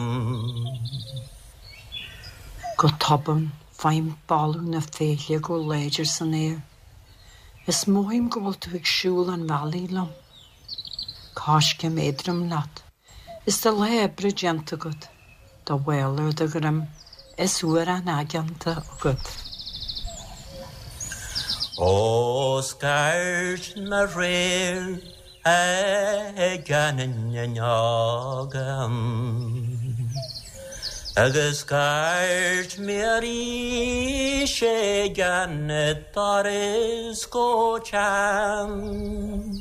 Speaker 9: Go tobann, faighim boladh na féithle go láidir san aer, is mothaím go bhfuil tú ag siúl an bhealaigh liom. Coiscéim éadrom leat, is do lá oibre déanta agat, do mhála ar do dhroim is uarán aigeanta agat.
Speaker 3: Ó scairt mé aréir ag an fhuinneog Agus scairt mé arís ag an doras go teann.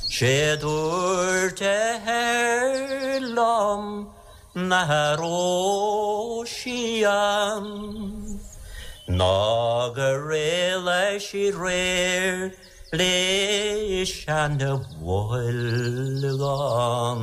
Speaker 3: Sé dúirt a hathair liom nach raibh sí ann Ná gur éalaigh sí aréir le seana-bhoilgán.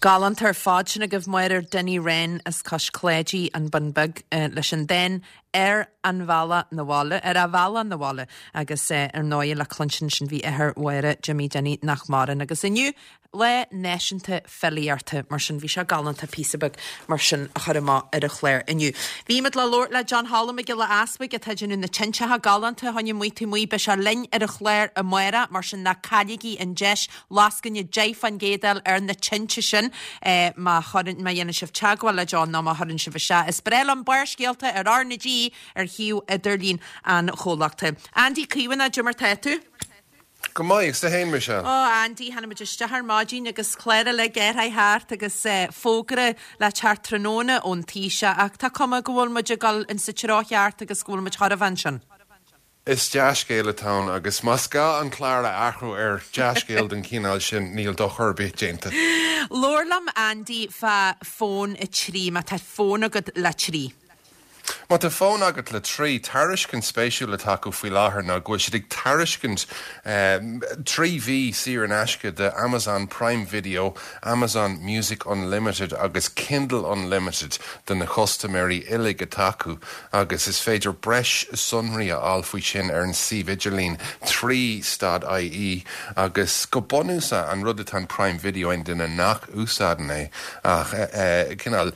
Speaker 1: Galánta ar fad sin agaibh Máire Dinny Wren as Cois Cláidí, An Bun Beag, leis an dán 'Ar an Bhealach 'Na Bhaile', 'Ar a Bhealach 'Na Bhaile' agus ar ndóigh le cluinstin ansin bhí athair Mháire, Jimmy Dinny nach maireann agus inniu Lá Náisiúnta Filíochta, mar sin bhí sé galánta píosa beag mar sin a chur amach ar an chlár inniu. Bhí muid le labhairt le John Holland Mac Giolla Easbuig atá ag déanamh na tinteacha galánta fá choinne Amuigh Taobh Amuigh. Beidh sé linn ar an chlár amárach, mar sin ná cailligí an deis lascaine 10% a fháil ar na tinte sin má chuireann, má dhéanann sibh teagmháil le John nó má chuireann sibh isteach. Is breá liom Barrscéalta ar R na G ar shuíomh idirlín an chomhlachta. Andy Caomhánach, cad é mar tá tú?
Speaker 10: Go maith, agus tú fhéin, Michelle?
Speaker 1: Ó, Andy, tháinig muid isteach ar maidin agus clár uilig athraithe thart agus fógra le teacht tráthnóna ón Taoiseach ach tá cuma go bhfuil muid ag dul insa treo cheart agus go bhfuil muid chóir a bheith ansin.
Speaker 10: Is dea-scéal atá ann agus más gá an clár a athrú ar dea-scéal den chineál sin níl dochar ar bith déanta.
Speaker 1: Labhair liom, Andy, fá Fón 3, má tá fón agat le 3.
Speaker 10: Má tá fón agat le 3, tairiscint spéisiúil atá acu faoi láthair ná go bhfuil siad ag tairiscint 3 mhí saor in aisce de Amazon Prime Video, Amazon Music Unlimited agus Kindle Unlimited do na custaiméirí uilig atá acu agus is féidir breis sonraí a fháil faoi sin ar an suíomh idirlín 3 stad ie agus go bunúsach an rud atá in Prime Video aon duine nach úsáideann é ach cineál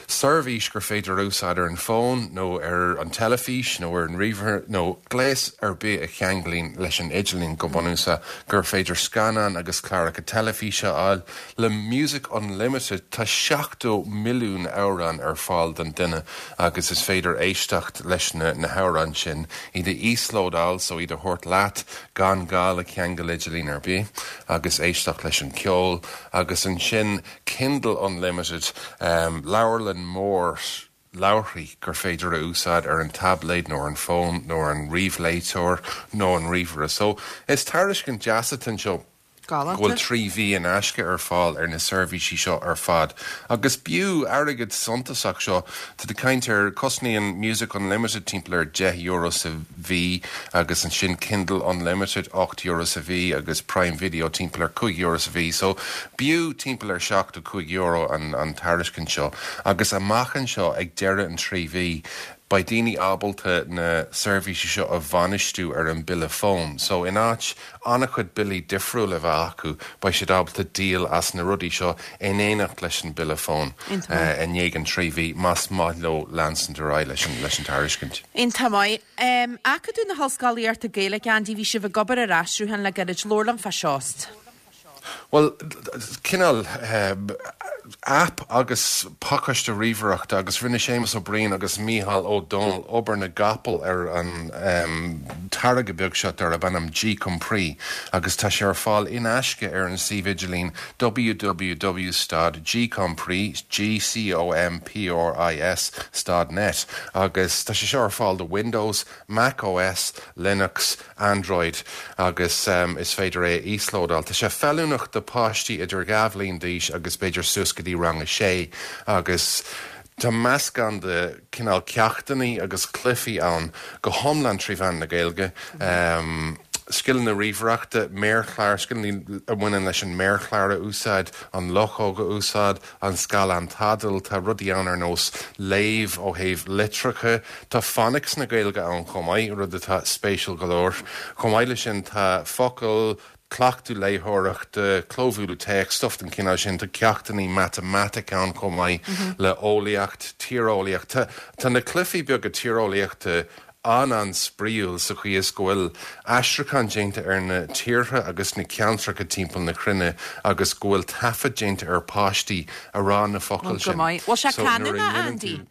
Speaker 10: Seirbhís gur féidir a úsáid ar an bhfón nó ar an teilifís nó ar an ríomhaire nó gléas ar bith a cheanglaíonn leis an idirlíon go bunúsach, gur féidir scannáin agus cláracha teilifíse a fháil. Le Music Unlimited tá 70 milliún amhrán ar fáil don duine agus is féidir éisteacht leis na hamhráin sin, iad a íoslódáil so iad a thabhairt leat gan gá le ceangal idirlín ar bith agus éisteacht leis an ceol agus ansin Kindle Unlimited, leabharlann mór leabharthaí gur féidir a úsáid ar an taibléad nó ar an bhfón nó ar an ríomhléiteoir nó an ríomhaire. So, is tairiscint deas atá anseo. Go bhfuil 3 mhí in aisce ar fáil ar na seirbhísí seo ar fad. Agus b'fhiú airgead suntasach seo, tá tú ag caint ar, cosnaíonn Music Unlimited timpeall ar €10 sa mhí agus ansin Kindle Unlimited €8 sa mhí agus Prime Video timpeall ar €5 sa mhí. So b'fhiú timpeall ar €75 an an tairiscint seo. Agus amach anseo ag deireadh an 3 mhí, beidh daoine ábalta na seirbhísí seo a bhainistiú ar an bille fóin. So in áit an-chuid billí difriúla a bheith acu, beidh siad ábalta díol as na rudaí seo in éineacht leis an bille fóin i ndiaidh an 3 mhí, más maith leo leanstant ar aghaidh leis an leis an tairiscint.
Speaker 1: Iontach maith. Acadamh na hOllscolaíochta Gaeilge, Andy, bhí sibh ag obair ar aistriúchán le gairid. Labhair liom fá seo.
Speaker 10: Bhuel, cineál aip agus pacáiste ríomhaireachta agus rinne Séamus Ó Briain agus Mícheál Ó Domhnaill obair na gcapall ar an táirge beag seo darb ainm GCompris agus tá sé ar fáil in aisce ar an suíomh idirlín www stad gcompris, G-C-O-M-P-R-I-S, stad net agus tá sé seo ar fáil do Windows, Mac OS, Linux, Android agus is féidir é a íoslódáil. Tá sé feiliúnach do páistí idir 2 bhliain d'aois agus b'fhéidir suas go dtí rang a sé agus tá meascán de cineál ceachtanna agus cluichí ann go hiomlán trí mheán na Gaeilge. Scileanna ríomhaireachta, méarchlár, scileanna a bhaineann leis an méarchlár a úsáid, an luchóg a úsáid, an scáileán tadhaill, tá rudaí ann ar nós léamh ó thaobh litreacha, tá phonics na Gaeilge ann chomh maith, rud atá spéisiúil go leor. Chomh maith leis sin tá focail, cleachtadh léitheoireachta, clóbhualadh téacs, stuff den chineál sin, tá ceachtanna matamaitice ann chomh maith le eolaíocht, tíreolaíocht. Tá tá na cluichí beaga tíreolaíochta an-an-spraíúil sa chaoi is go bhfuil aistriúchán déanta ar na tíortha agus na ceantracha timpeall na cruinne agus go bhfuil taifead déanta ar páistí a rá na focail
Speaker 1: Go
Speaker 10: sin.
Speaker 1: maith. Bhfuil sé
Speaker 10: So nuair a
Speaker 1: canúnach,
Speaker 10: dhéanann
Speaker 1: Andy?
Speaker 10: tú.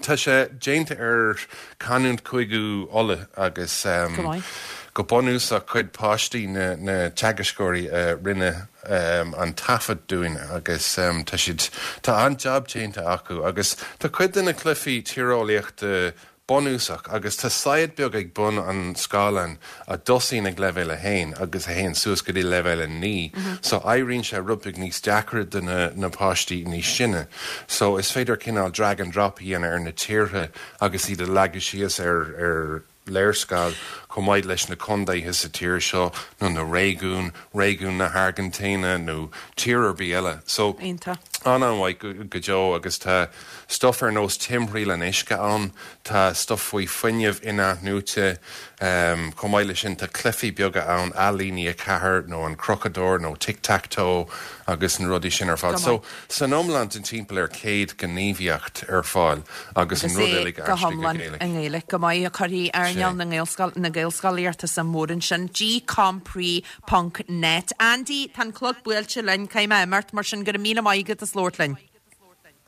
Speaker 10: Tá sé déanta ar chanúint Chúige Uladh agus
Speaker 1: Go maith.
Speaker 10: go bunúsach cuid páistí na na teagascóirí a rinne an taifead dúinn agus tá siad, tá an-jab déanta acu agus tá cuid de na cluichí tíreolaíochta bunúsach agus tá saighead beag ag bun an scáileáin a dtosaíonn ag leibhéal 1 agus a théann suas go dtí leibhéal 9 so éiríonn sé rud beag níos deacra do na na páistí níos sine so is féidir cineál drag and drop a dhéanamh ar na tíortha agus iad a leagadh síos ar ar léarscáil, chomh maith leis na contaetha sa tír seo, nó na réigiúin, réigiún na hAirgintíne nó tír ar bith eile. So,
Speaker 1: Iontach.
Speaker 10: an-an-mhaith go deo agus tá stuff ar nós timthriall an uisce ann, tá stuff faoi fuinneamh in-athnuaite, chomh maith leis sin tá cluichí beaga ann, Ailíní 4 nó an Crochadóir nó Tic Tac Toe agus na rudaí sin ar fad.
Speaker 1: Go
Speaker 10: So,
Speaker 1: maith.
Speaker 10: San iomlán tá timpeall ar 100 gníomhaíocht ar fáil agus an
Speaker 1: Agus
Speaker 10: rud
Speaker 1: é
Speaker 10: uilig
Speaker 1: go
Speaker 10: aistrithe go
Speaker 1: hiomlán
Speaker 10: Gaeilge.
Speaker 1: i nGaeilge. Go maith a cuirfidh earnáil na Gaelscoil, na Gaelscolaíochta suim mhór ansin. gcompris ponc net. Andy, tá an clog buailte linn, caithfidh mé imeacht, mar sin go raibh míle maith agat as labhairt linn.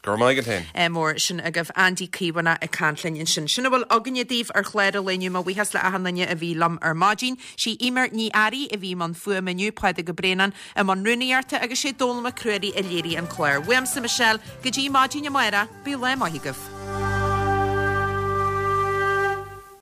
Speaker 10: Go raibh maith agat féin.
Speaker 1: Mór sin agaibh. Andy Caomhánach ag caint linn ansin. Sin a bhfuil againne daoibh ar chlár an lae inniu. Mo bhuíochas le achan duine a bhí liom ar maidin. Sí Eimear Ní Fhearraigh a bhí i mbun fuaime inniu, Pádraig Ó Braonáin i mbun rúnaíochta agus sé Dónall Mac Ruairí a léirigh an clár. Uaimse Michelle, go dtí maidin amárach, bíodh lá maith agaibh.